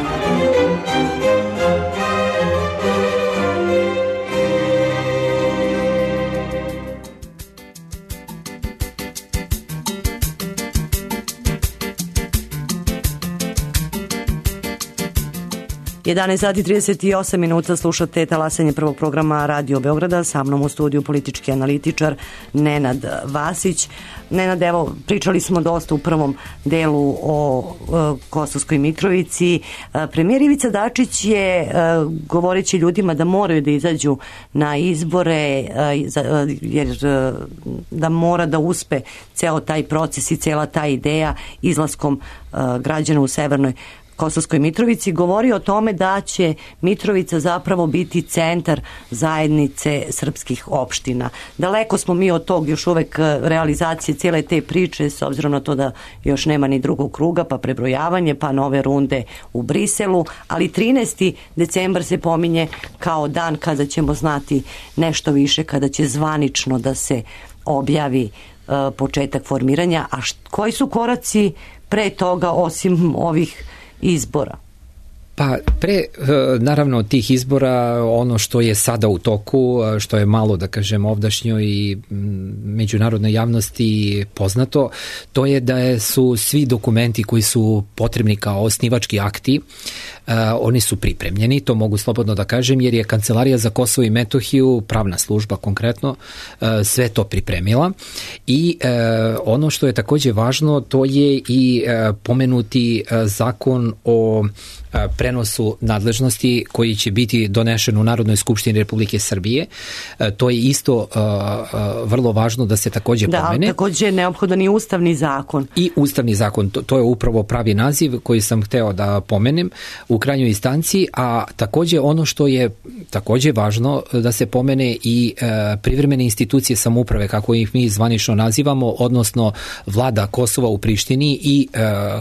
Speaker 4: jedanaest sati trideset osam minuta, slušate talasanje prvog programa Radio Beograda, sa mnom u studiju politički analitičar Nenad Vasić. Nenad, evo, pričali smo dosta u prvom delu o e, Kosovskoj Mitrovici. E, premijer Ivica Dačić je, e, govoreći ljudima da moraju da izađu na izbore, e, za, jer e, da mora da uspe ceo taj proces i cela ta ideja izlaskom e, građana u Severnoj Kosovskoj Mitrovici, govori o tome da će Mitrovica zapravo biti centar zajednice srpskih opština. Daleko smo mi od tog još uvek realizacije cijele te priče, s obzirom na to da još nema ni drugog kruga, pa prebrojavanje, pa nove runde u Briselu, ali trinaesti decembar se pominje kao dan kada ćemo znati nešto više, kada će zvanično da se objavi uh, početak formiranja. A št, koji su koraci pre toga osim ovih izbora?
Speaker 5: Pa pre, naravno, tih izbora, ono što je sada u toku, što je malo, da kažem, ovdašnjoj i međunarodnoj javnosti poznato, to je da su svi dokumenti koji su potrebni kao osnivački akti oni su pripremljeni, to mogu slobodno da kažem, jer je Kancelarija za Kosovo i Metohiju, pravna služba konkretno, sve to pripremila i ono što je takođe važno, to je i pomenuti zakon o prenosu nadležnosti koji će biti donešen u Narodnoj skupštini Republike Srbije. To je isto vrlo važno da se takođe
Speaker 4: da,
Speaker 5: pomene.
Speaker 4: Da, takođe je neophodan i ustavni zakon.
Speaker 5: I ustavni zakon, to, to je upravo pravi naziv koji sam hteo da pomenem u krajnjoj instanciji, a takođe ono što je takođe važno da se pomene i privremene institucije samouprave, kako ih mi zvanično nazivamo, odnosno vlada Kosova u Prištini i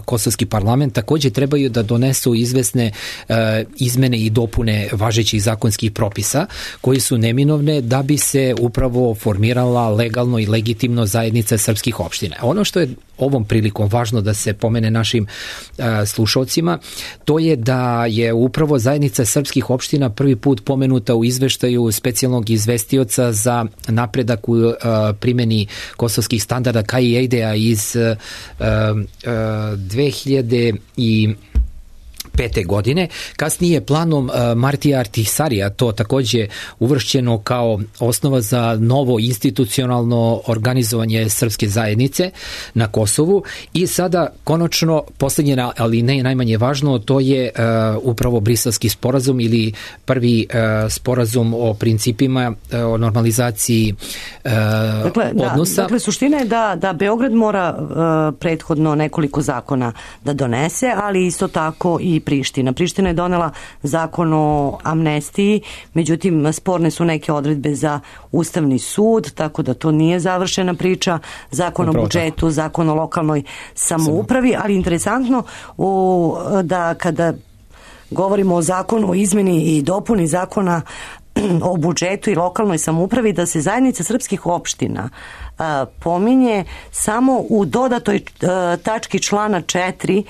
Speaker 5: kosovski parlament takođe trebaju da donesu izve izvesne uh, izmene i dopune važećih zakonskih propisa koji su neminovne da bi se upravo formirala legalno i legitimno zajednica srpskih opština. Ono što je ovom prilikom važno da se pomene našim uh, slušalcima, to je da je upravo zajednica srpskih opština prvi put pomenuta u izveštaju specijalnog izvestioca za napredak u uh, primjeni kosovskih standarda K I E D A iz uh, uh, dve hiljade pete godine. Kasnije planom Martija Artisarija to takođe uvršćeno kao osnova za novo institucionalno organizovanje srpske zajednice na Kosovu i sada konačno posljednje, ali ne najmanje važno, to je uh, upravo Briselski sporazum ili prvi uh, sporazum o principima uh, o normalizaciji uh,
Speaker 4: dakle,
Speaker 5: odnosa.
Speaker 4: Da, dakle, suština je da, da Beograd mora uh, prethodno nekoliko zakona da donese, ali isto tako i Priština. Priština je donela zakon o amnestiji, međutim sporne su neke odredbe za Ustavni sud, tako da to nije završena priča, zakon Upravo o budžetu, tako. Zakon o lokalnoj samoupravi, ali interesantno u, da kada govorimo o zakonu o izmeni i dopuni zakona o budžetu i lokalnoj samoupravi, da se zajednica srpskih opština a, pominje samo u dodatoj a, tački člana četiri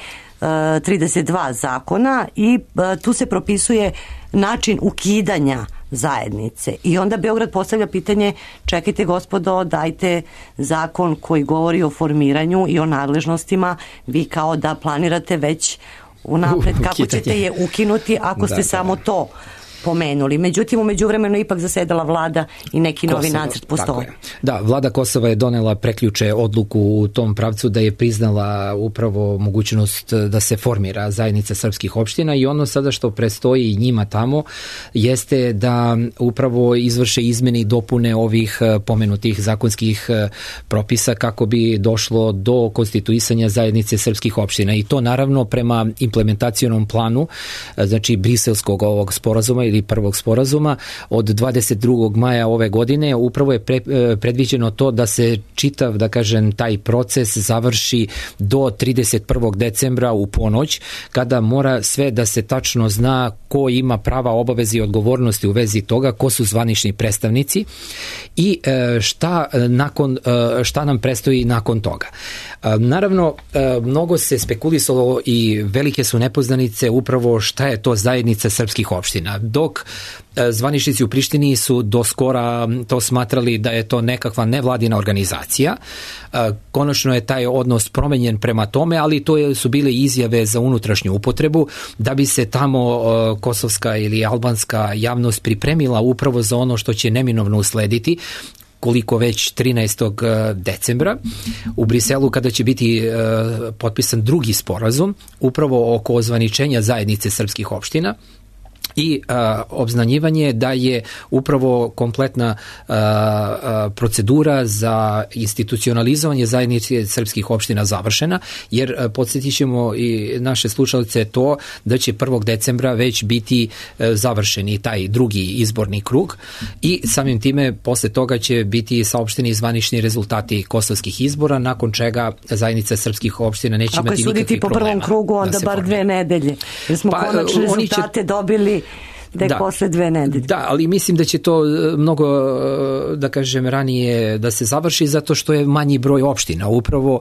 Speaker 4: trideset dva zakona i tu se propisuje način ukidanja zajednice. I onda Beograd postavlja pitanje, čekajte gospodo, dajte zakon koji govori o formiranju i o nadležnostima, vi kao da planirate već unapred kako ćete je ukinuti ako ste da, samo da. to pomenuli. Međutim, u međuvremenu ipak zasedala vlada i neki Kosova, novi nacrt postoji.
Speaker 5: Da, vlada Kosova je donela preključe odluku u tom pravcu da je priznala upravo mogućnost da se formira zajednica srpskih opština i ono sada što predstoji njima tamo jeste da upravo izvrše izmene i dopune ovih pomenutih zakonskih propisa kako bi došlo do konstituisanja zajednice srpskih opština i to naravno prema implementacionom planu, znači briselskog ovog sporazuma ili prvog sporazuma od dvadeset drugog maja ove godine upravo je pre, predviđeno to da se čitav, da kažem, taj proces završi do trideset prvog decembra u ponoć, kada mora sve da se tačno zna ko ima prava, obaveze i odgovornosti u vezi toga, ko su zvanični predstavnici i šta, nakon, šta nam predstoji nakon toga. Naravno, mnogo se spekulisalo i velike su nepoznanice upravo šta je to zajednica srpskih opština. Dok zvaničnici u Prištini su do skora to smatrali da je to nekakva nevladina organizacija. Konačno je taj odnos promenjen prema tome, ali to su bile izjave za unutrašnju upotrebu da bi se tamo kosovska ili albanska javnost pripremila upravo za ono što će neminovno uslediti, koliko već trinaestog decembra u Briselu, kada će biti uh, potpisan drugi sporazum upravo oko ozvaničenja zajednice srpskih opština i a, obznanjivanje da je upravo kompletna a, a, procedura za institucionalizovanje zajednice srpskih opština završena, jer a, podsjetit ćemo i naše slušalice to da će prvog decembra već biti a, završeni taj drugi izborni krug i samim time posle toga će biti saopšteni zvanični rezultati kosovskih izbora, nakon čega zajednica srpskih opština neće
Speaker 4: Ako
Speaker 5: imati nikakvih problema.
Speaker 4: Ako je suditi po prvom krugu, onda bar dve nedelje, jer smo pa, konačne rezultate će... dobili tek
Speaker 5: da,
Speaker 4: posle dve nedelje.
Speaker 5: Da, ali mislim da će to mnogo, da kažem, ranije da se završi zato što je manji broj opština. Upravo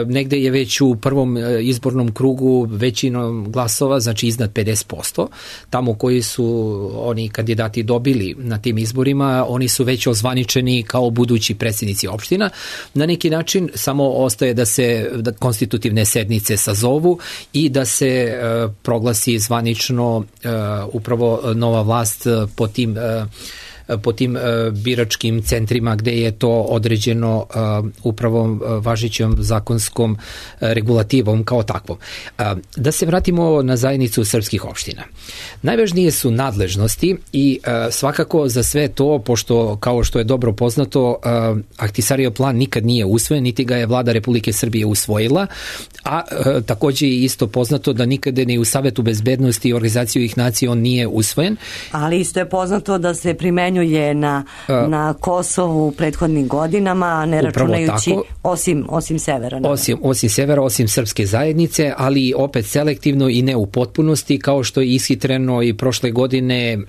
Speaker 5: negde je već u prvom izbornom krugu većinom glasova, znači iznad pedeset posto. Tamo koji su oni kandidati dobili na tim izborima, oni su već ozvaničeni kao budući predsjednici opština. Na neki način samo ostaje da se da konstitutivne sednice sazovu i da se e, proglasi zvanično e, upravo nova vlast po tim e, po tim biračkim centrima gde je to određeno upravo važećom zakonskom regulativom kao takvom. Da se vratimo na zajednicu srpskih opština. Najvažnije su nadležnosti i svakako za sve to, pošto kao što je dobro poznato, Ahtisarijev plan nikad nije usvojen, niti ga je vlada Republike Srbije usvojila, a takođe je isto poznato da nikada ni u Savetu bezbednosti i organizaciju ih nacija on nije usvojen.
Speaker 4: Ali isto je poznato da se primenjuje je na, uh, na Kosovu u prethodnim godinama, ne računajući osim, osim severa.
Speaker 5: Osim, osim severa, osim srpske zajednice, ali opet selektivno i ne u potpunosti, kao što je ishitreno i prošle godine uh,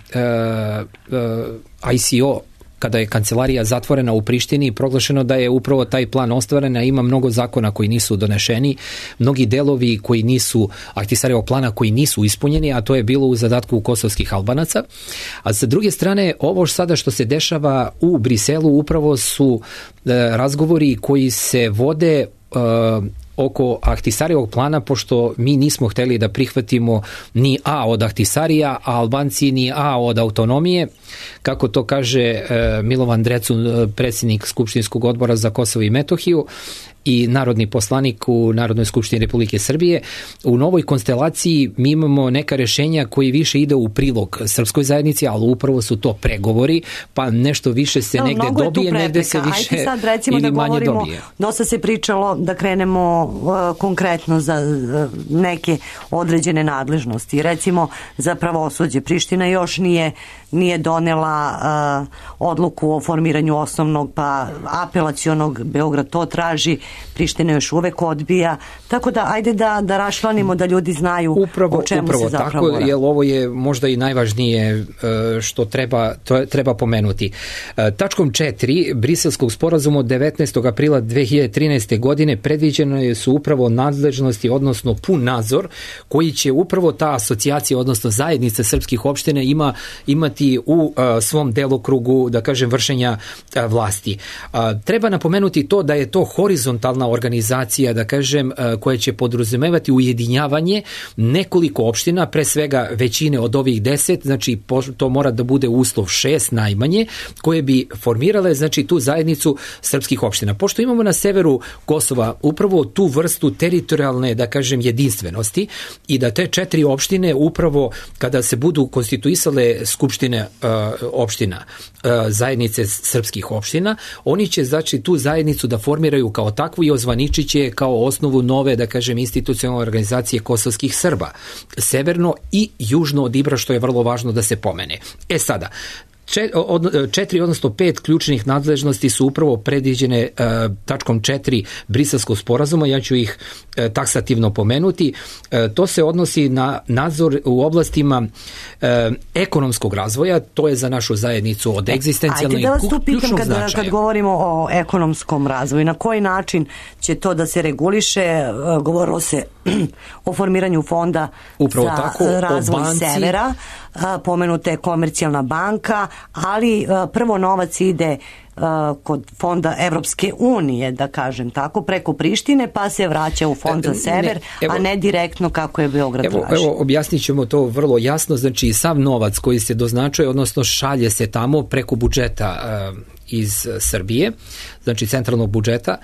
Speaker 5: uh, I C O, kada je kancelarija zatvorena u Prištini, proglašeno da je upravo taj plan ostvaren, a ima mnogo zakona koji nisu donešeni, mnogi delovi koji nisu, Ahtisarjevog plana koji nisu ispunjeni, a to je bilo u zadatku kosovskih Albanaca. A sa druge strane, ovo sada što se dešava u Briselu upravo su e, razgovori koji se vode e, oko Ahtisarjevog plana, pošto mi nismo hteli da prihvatimo ni A od Ahtisarija, a Albanci ni A od autonomije, kako to kaže e, Milovan Drecun, predsjednik Skupštinskog odbora za Kosovo i Metohiju i narodni poslanik u Narodnoj skupštini Republike Srbije. U novoj konstelaciji mi imamo neka rešenja koji više ide u prilog srpskoj zajednici, ali upravo su to pregovori, pa nešto više se negde no, dobije, negde se više Ajde sad, recimo, ili da manje govorimo, dobije.
Speaker 4: Dosta se pričalo da krenemo uh, konkretno za uh, neke određene nadležnosti. Recimo za pravosuđe. Priština još nije nije donela uh, odluku o formiranju osnovnog pa apelacionog, Beograd to traži, Priština još uvek odbija, tako da ajde da, da rašlanimo da ljudi znaju
Speaker 5: upravo,
Speaker 4: o čemu
Speaker 5: upravo
Speaker 4: se zapravo
Speaker 5: tako, jer ovo je možda i najvažnije uh, što treba, to treba pomenuti. Uh, tačkom četiri Briselskog sporazuma od devetnaestog aprila dve hiljade trinaeste. godine predviđeno su upravo nadležnosti, odnosno pun nadzor koji će upravo ta asocijacija, odnosno zajednica srpskih opština ima, imati u uh, svom delokrugu, da kažem, vršenja uh, vlasti. Uh, treba napomenuti to da je to horizontalna organizacija, da kažem, uh, koja će podrazumevati ujedinjavanje nekoliko opština, pre svega većine od ovih deset, znači to mora da bude uslov šest najmanje, koje bi formirale, znači, tu zajednicu srpskih opština. Pošto imamo na severu Kosova upravo tu vrstu teritorijalne, da kažem, jedinstvenosti i da te četiri opštine upravo kada se budu konstituisale skupštine uh, opština, uh, zajednice srpskih opština, oni će, znači, tu zajednicu da formiraju kao takvu i ozvaničit će kao osnovu nove, da kažem, institucionalne organizacije kosovskih Srba, severno i južno od Ibra, što je vrlo važno da se pomene. E sada, četiri, odnosno pet ključnih nadležnosti su upravo predviđene uh, tačkom četiri Briselskog sporazuma, ja ću ih uh, taksativno pomenuti. Uh, to se odnosi na nadzor u oblastima uh, ekonomskog razvoja, to je za našu zajednicu od egzistencijalnog i ključnog značaja. Ajde da vas tu pitam kad, kad govorimo o ekonomskom razvoju, na koji način će to da se reguliše, uh, govorilo se o formiranju fonda upravo za tako, razvoj severa, pomenuta je Komercijalna banka, ali prvo novac ide kod fonda Evropske unije, da kažem tako, preko Prištine, pa se vraća u fond za sever, ne, evo, a ne direktno kako je Beograd evo,
Speaker 4: traži.
Speaker 5: Evo, objasnit ćemo to vrlo jasno, znači sav novac koji se doznačuje, odnosno šalje se tamo preko budžeta uh, iz Srbije, znači centralnog budžeta.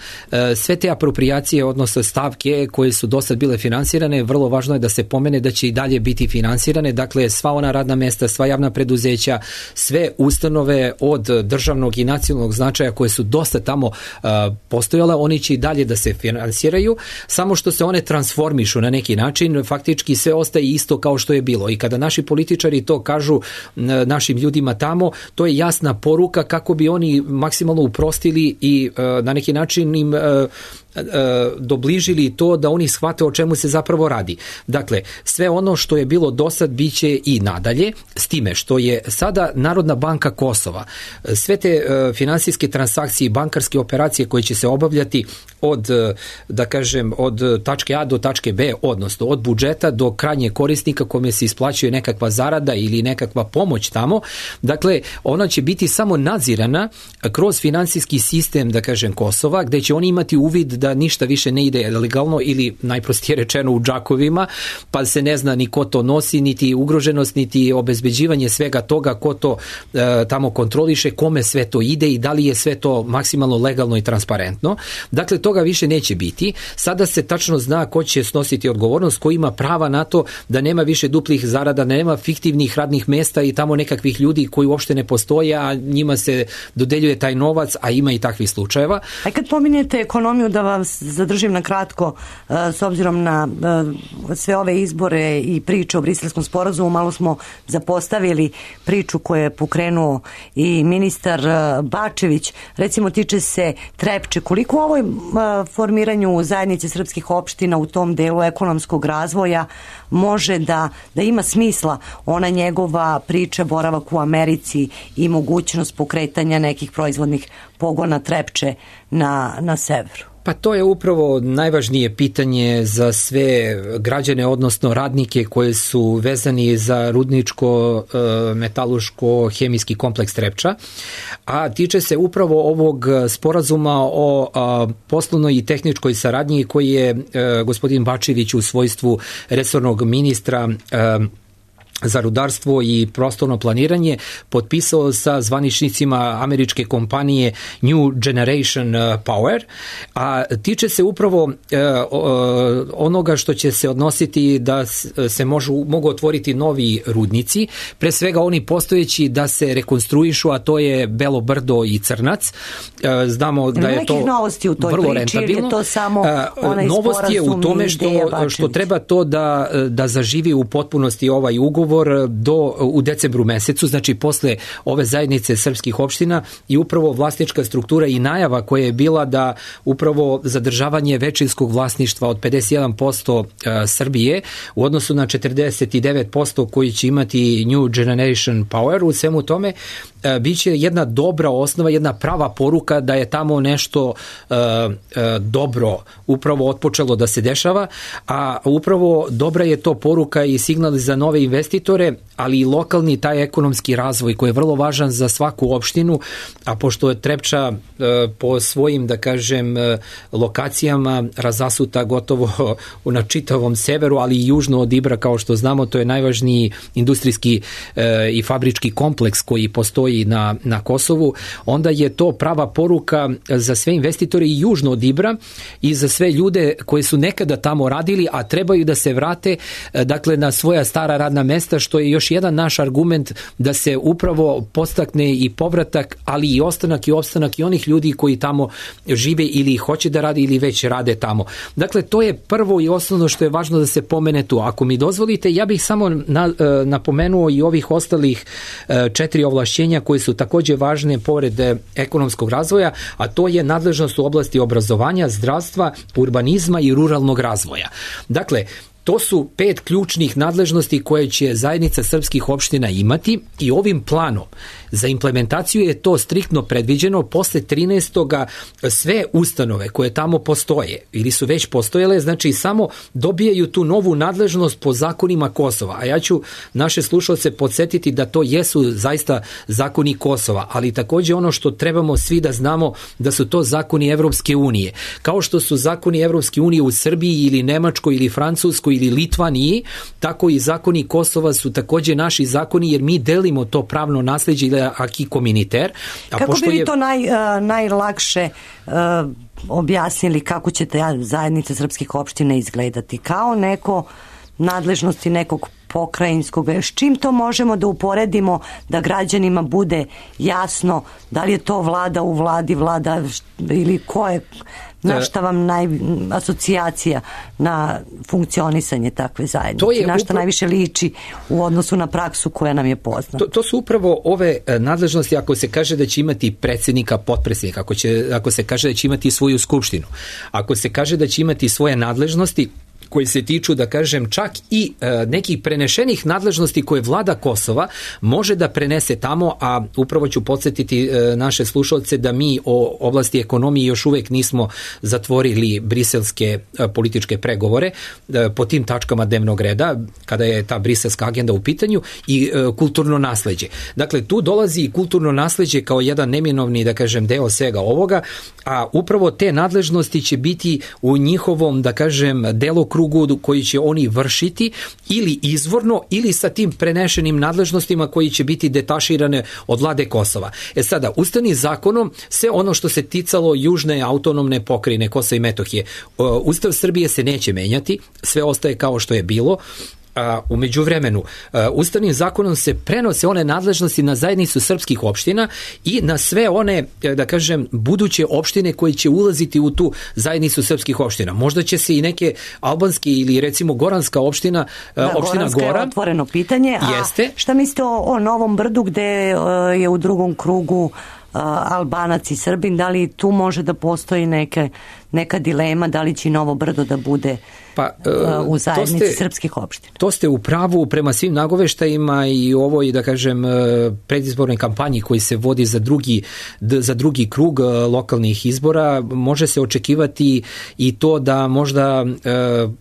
Speaker 5: Sve te apropriacije, odnosno stavke koje su do sad bile finansirane, vrlo važno je da se pomene da će i dalje biti finansirane, dakle sva ona radna mesta, sva javna preduzeća, sve ustanove od državnog i nacionalnog nacionalnog značaja koje su dosta tamo uh, postojale, oni će i dalje da se finansiraju, samo što se one transformišu na neki način, faktički sve ostaje isto kao što je bilo. I kada naši političari to kažu našim ljudima tamo, to je jasna poruka kako bi oni maksimalno uprostili i uh, na neki način im uh, dobližili to da oni shvate o čemu se zapravo radi. Dakle, sve ono što je bilo do sad biće i nadalje, s time što je sada Narodna banka Kosova, sve te finansijske transakcije i bankarske operacije koje će se obavljati od, da kažem, od tačke A do tačke B, odnosno od budžeta do krajnjeg korisnika kome se isplaćuje nekakva zarada ili nekakva pomoć tamo, dakle, ona će biti samo nadzirana kroz finansijski sistem, da kažem, Kosova, gde će oni imati uvid da ništa više ne ide legalno ili najprostije rečeno u džakovima, pa se ne zna ni ko to nosi, niti ugroženost, niti obezbeđivanje svega toga, ko to e, tamo kontroliše, kome sve to ide i da li je sve to maksimalno legalno i transparentno. Dakle, toga više neće biti. Sada se tačno zna ko će snositi odgovornost, ko ima prava na to da nema više duplih zarada, nema fiktivnih radnih mesta i tamo nekakvih ljudi koji uopšte ne postoje, a njima se dodeljuje taj novac, a ima i takvih slučajeva.
Speaker 4: A kad pominjete ekonomiju, da vas zadržim na kratko, s obzirom na sve ove izbore i priče o Briselskom sporazumu, malo smo zapostavili priču koju je pokrenuo i ministar Bačević, recimo tiče se Trepče. Koliko u ovoj formiranju zajednice srpskih opština u tom delu ekonomskog razvoja može da, da ima smisla ona njegova priča boravak u Americi i mogućnost pokretanja nekih proizvodnih pogona Trepče na, na severu?
Speaker 5: Pa to je upravo najvažnije pitanje za sve građane, odnosno radnike koji su vezani za rudničko, metaluško, hemijski kompleks Trepča, a tiče se upravo ovog sporazuma o poslovnoj i tehničkoj saradnji koji je gospodin Bačević u svojstvu resornog ministra za rudarstvo i prostorno planiranje potpisao sa zvaničnicima američke kompanije New Generation Power, a tiče se upravo e, onoga što će se odnositi da se možu, mogu otvoriti novi rudnici, pre svega oni postojeći da se rekonstruišu, a to je Belo Brdo i Crnac. E, znamo da je to
Speaker 4: novosti u toj
Speaker 5: vrlo
Speaker 4: priči,
Speaker 5: rentabilno.
Speaker 4: Je to samo onaj
Speaker 5: novost je u tome što, što treba to da, da zaživi u potpunosti ovaj ugovor do, u decembru mesecu, znači posle ove zajednice srpskih opština i upravo vlasnička struktura i najava koja je bila da upravo zadržavanje većinskog vlasništva od pedeset jedan posto Srbije u odnosu na četrdeset devet posto koji će imati New Generation Power, u svemu tome biće jedna dobra osnova, jedna prava poruka da je tamo nešto uh, uh, dobro upravo otpočelo da se dešava, a upravo dobra je to poruka i signal za nove investitore, ali i lokalni taj ekonomski razvoj koji je vrlo važan za svaku opštinu, a pošto je Trepča uh, po svojim, da kažem, uh, lokacijama razasuta gotovo na čitavom severu, ali i južno od Ibra, kao što znamo, to je najvažniji industrijski uh, i fabrički kompleks koji postoji Na, na Kosovu, onda je to prava poruka za sve investitore i južno od Ibra i za sve ljude koji su nekada tamo radili, a trebaju da se vrate, dakle, na svoja stara radna mesta, što je još jedan naš argument da se upravo podstakne i povratak, ali i ostanak i opstanak i onih ljudi koji tamo žive ili hoće da rade ili već rade tamo. Dakle, to je prvo i osnovno što je važno da se pomene tu. Ako mi dozvolite, ja bih samo na, napomenuo i ovih ostalih četiri ovlašćenja koje su takođe važne pored ekonomskog razvoja, a to je nadležnost u oblasti obrazovanja, zdravstva, urbanizma i ruralnog razvoja. Dakle, to su pet ključnih nadležnosti koje će zajednica srpskih opština imati i ovim planom za implementaciju je to striktno predviđeno. Posle trinaestoga sve ustanove koje tamo postoje ili su već postojele, znači samo dobijaju tu novu nadležnost po zakonima Kosova. A ja ću naše slušalce podsjetiti da to jesu zaista zakoni Kosova, ali takođe ono što trebamo svi da znamo da su to zakoni Evropske unije. Kao što su zakoni Evropske unije u Srbiji ili Nemačkoj ili Francuskoj ili Litvaniji, tako i zakoni Kosova su takođe naši zakoni, jer mi delimo to pravno nasleđe ili aki komuniter. A
Speaker 4: kako
Speaker 5: pošto
Speaker 4: bi
Speaker 5: je...
Speaker 4: to naj, uh, najlakše uh, objasnili kako će ta zajednica srpskih opština izgledati? Kao neko nadležnosti nekog pokrajinskog. S čim to možemo da uporedimo da građanima bude jasno da li je to vlada u vladi, vlada ili ko je, na šta vam naj, asocijacija na funkcionisanje takve zajednice, na šta upra... najviše liči u odnosu na praksu koja nam je poznata.
Speaker 5: To, to su upravo ove nadležnosti ako se kaže da će imati predsjednika, potpredsjednika, ako, će, ako se kaže da će imati svoju skupštinu, ako se kaže da će imati svoje nadležnosti koji se tiču, da kažem, čak i e, nekih prenešenih nadležnosti koje vlada Kosova može da prenese tamo, a upravo ću podsjetiti e, naše slušalce da mi o oblasti ekonomije još uvek nismo zatvorili briselske e, političke pregovore e, po tim tačkama dnevnog reda, kada je ta briselska agenda u pitanju, i e, kulturno nasleđe. Dakle, tu dolazi i kulturno nasleđe kao jedan neminovni, da kažem, deo svega ovoga, a upravo te nadležnosti će biti u njihovom, da kažem, delokrugu koji će oni vršiti ili izvorno ili sa tim prenešenim nadležnostima koji će biti detaširane od vlade Kosova. E sada, ustavnim zakonom sve ono što se ticalo južne autonomne pokrajine Kosova i Metohije, Ustav Srbije se neće menjati, sve ostaje kao što je bilo. A, u međuvremenu, a, ustavnim zakonom se prenose one nadležnosti na zajednicu srpskih opština i na sve one, da kažem, buduće opštine koje će ulaziti u tu zajednicu srpskih opština. Možda će se i neke albanske ili recimo goranska opština, da, opština
Speaker 4: Goranska
Speaker 5: Gora.
Speaker 4: Je otvoreno pitanje, a
Speaker 5: jeste.
Speaker 4: Šta mislite o, o Novom Brdu gde uh, je u drugom krugu Uh, Albanac i Srbin, da li tu može da postoji neke, neka dilema, da li će Novo Brdo da bude pa, uh, u zajednici ste, srpskih opština?
Speaker 5: To ste u pravu prema svim nagoveštajima i ovoj, da kažem, predizbornoj kampanji koji se vodi za drugi, za drugi krug lokalnih izbora. Može se očekivati i to da možda uh,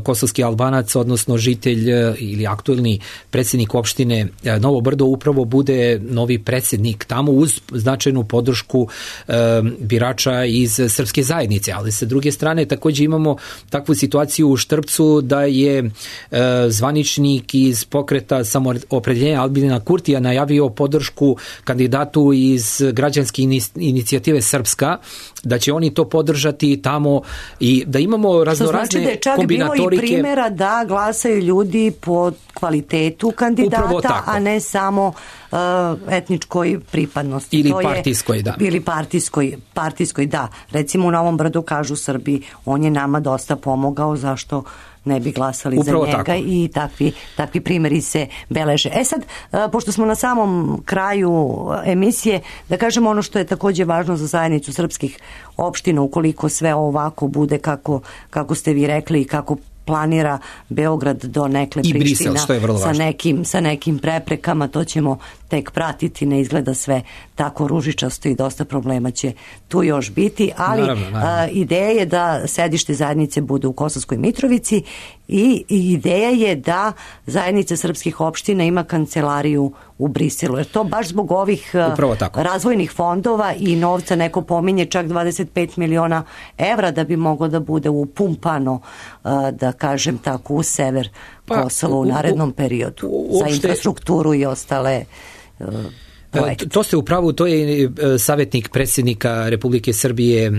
Speaker 5: kosovski Albanac, odnosno žitelj ili aktuelni predsjednik opštine Novo Brdo upravo bude novi predsjednik tamo uz značajnu podršku e, birača iz srpske zajednice, ali sa druge strane također imamo takvu situaciju u Štrpcu da je e, zvaničnik iz pokreta Samoopredeljenja Albina Kurtija najavio podršku kandidatu iz građanske inicijative Srpska, da će oni to podržati tamo i da imamo raznorazne
Speaker 4: znači
Speaker 5: kombinatorike.
Speaker 4: I primjera da glasaju ljudi po kvalitetu kandidata, a ne samo uh, etničkoj pripadnosti.
Speaker 5: Ili
Speaker 4: to
Speaker 5: partijskoj,
Speaker 4: je,
Speaker 5: da.
Speaker 4: Ili partijskoj, partijskoj, da. Recimo u Novom Brdu kažu Srbi, on je nama dosta pomogao, zašto ne bi glasali
Speaker 5: upravo
Speaker 4: za njega
Speaker 5: tako.
Speaker 4: I takvi, takvi primjeri se beleže. E sad, pošto smo na samom kraju emisije, da kažemo ono što je također važno za zajednicu srpskih opština, ukoliko sve ovako bude kako, kako ste vi rekli i kako planira Beograd do nekle
Speaker 5: I
Speaker 4: Priština
Speaker 5: Brisel, što je vrlo
Speaker 4: sa
Speaker 5: važno.
Speaker 4: nekim, sa nekim preprekama, to ćemo tek pratiti, ne izgleda sve tako ružičasto i dosta problema će tu još biti, ali
Speaker 5: naravno, naravno.
Speaker 4: A, ideja je da sedište zajednice bude u Kosovskoj Mitrovici i, i ideja je da zajednica srpskih opština ima kancelariju u Briselu, jer to baš zbog ovih razvojnih fondova i novca, neko pominje čak dvadeset pet miliona evra da bi moglo da bude upumpano, da kažem tako, u sever pa, Kosova u narednom periodu u, u, za infrastrukturu i ostale uh, projekte.
Speaker 5: To ste u pravu, to je savjetnik predsjednika Republike Srbije uh,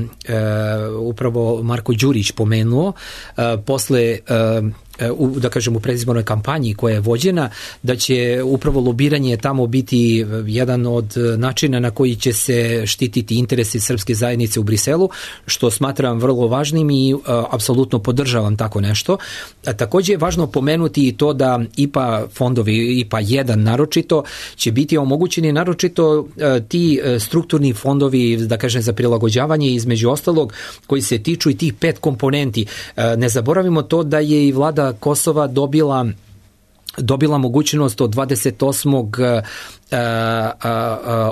Speaker 5: upravo Marko Đurić pomenuo uh, posle uh, u, da kažem, u predizbornoj kampanji koja je vođena, da će upravo lobiranje tamo biti jedan od načina na koji će se štititi interesi srpske zajednice u Briselu, što smatram vrlo važnim i uh, apsolutno podržavam tako nešto. A, također je važno pomenuti i to da I P A fondovi, I P A jedan naročito, će biti omogućeni naročito uh, ti uh, strukturni fondovi, da kažem, za prilagođavanje, između ostalog, koji se tiču i tih pet komponenti. Uh, ne zaboravimo to da je i vlada Kosova dobila dobila mogućnost od dvadeset osmog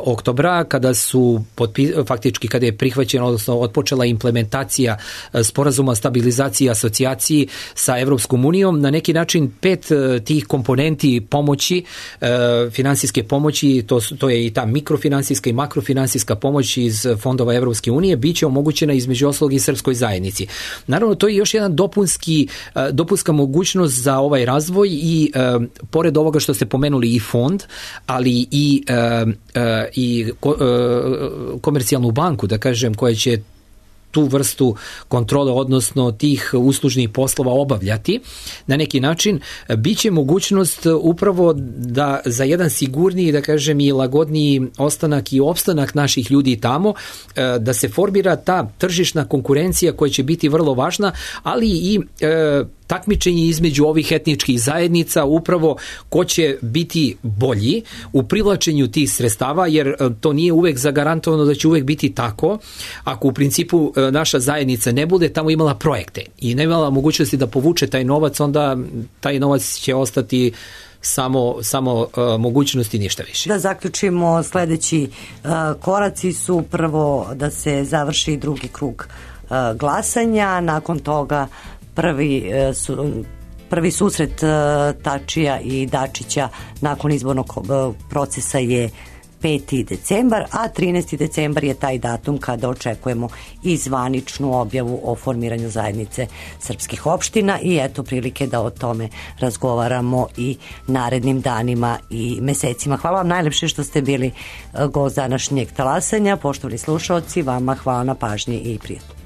Speaker 5: oktobra kada su potpi, faktički kada je prihvaćena, odnosno otpočela implementacija sporazuma o stabilizaciji i asocijaciji sa Evropskom unijom, na neki način pet tih komponenti pomoći, finansijske pomoći, to, to je i ta mikrofinansijska i makrofinansijska pomoć iz fondova Evropske unije, bit će omogućena između ostalog i srpskoj zajednici. Naravno, to je još jedan dopunski, dopunska mogućnost za ovaj razvoj i pored ovoga što ste pomenuli i fond, ali i, uh, uh, i ko, uh, komercijalnu banku, da kažem, koja će tu vrstu kontrole, odnosno tih uslužnih poslova obavljati na neki način, biće mogućnost upravo da za jedan sigurniji, da kažem, i lagodniji ostanak i opstanak naših ljudi tamo, da se formira ta tržišna konkurencija koja će biti vrlo važna, ali i e, takmičenje između ovih etničkih zajednica, upravo ko će biti bolji u privlačenju tih sredstava, jer to nije uvek zagarantovano da će uvek biti tako. Ako u principu naša zajednica ne bude tamo imala projekte i ne imala mogućnosti da povuče taj novac, onda taj novac će ostati samo, samo uh, mogućnosti, ništa više.
Speaker 4: Da zaključimo, sledeći uh, koraci su prvo da se završi drugi krug uh, glasanja, nakon toga prvi uh, su Prvi susret uh, Tačija i Dačića nakon izbornog uh, procesa je peti decembar, a trinaesti decembar je taj datum kada očekujemo i zvaničnu objavu o formiranju zajednice srpskih opština i eto prilike da o tome razgovaramo i narednim danima i mesecima. Hvala vam najlepše što ste bili gost današnjeg talasanja. Poštovani slušaoci, vama hvala na pažnji i prijatno.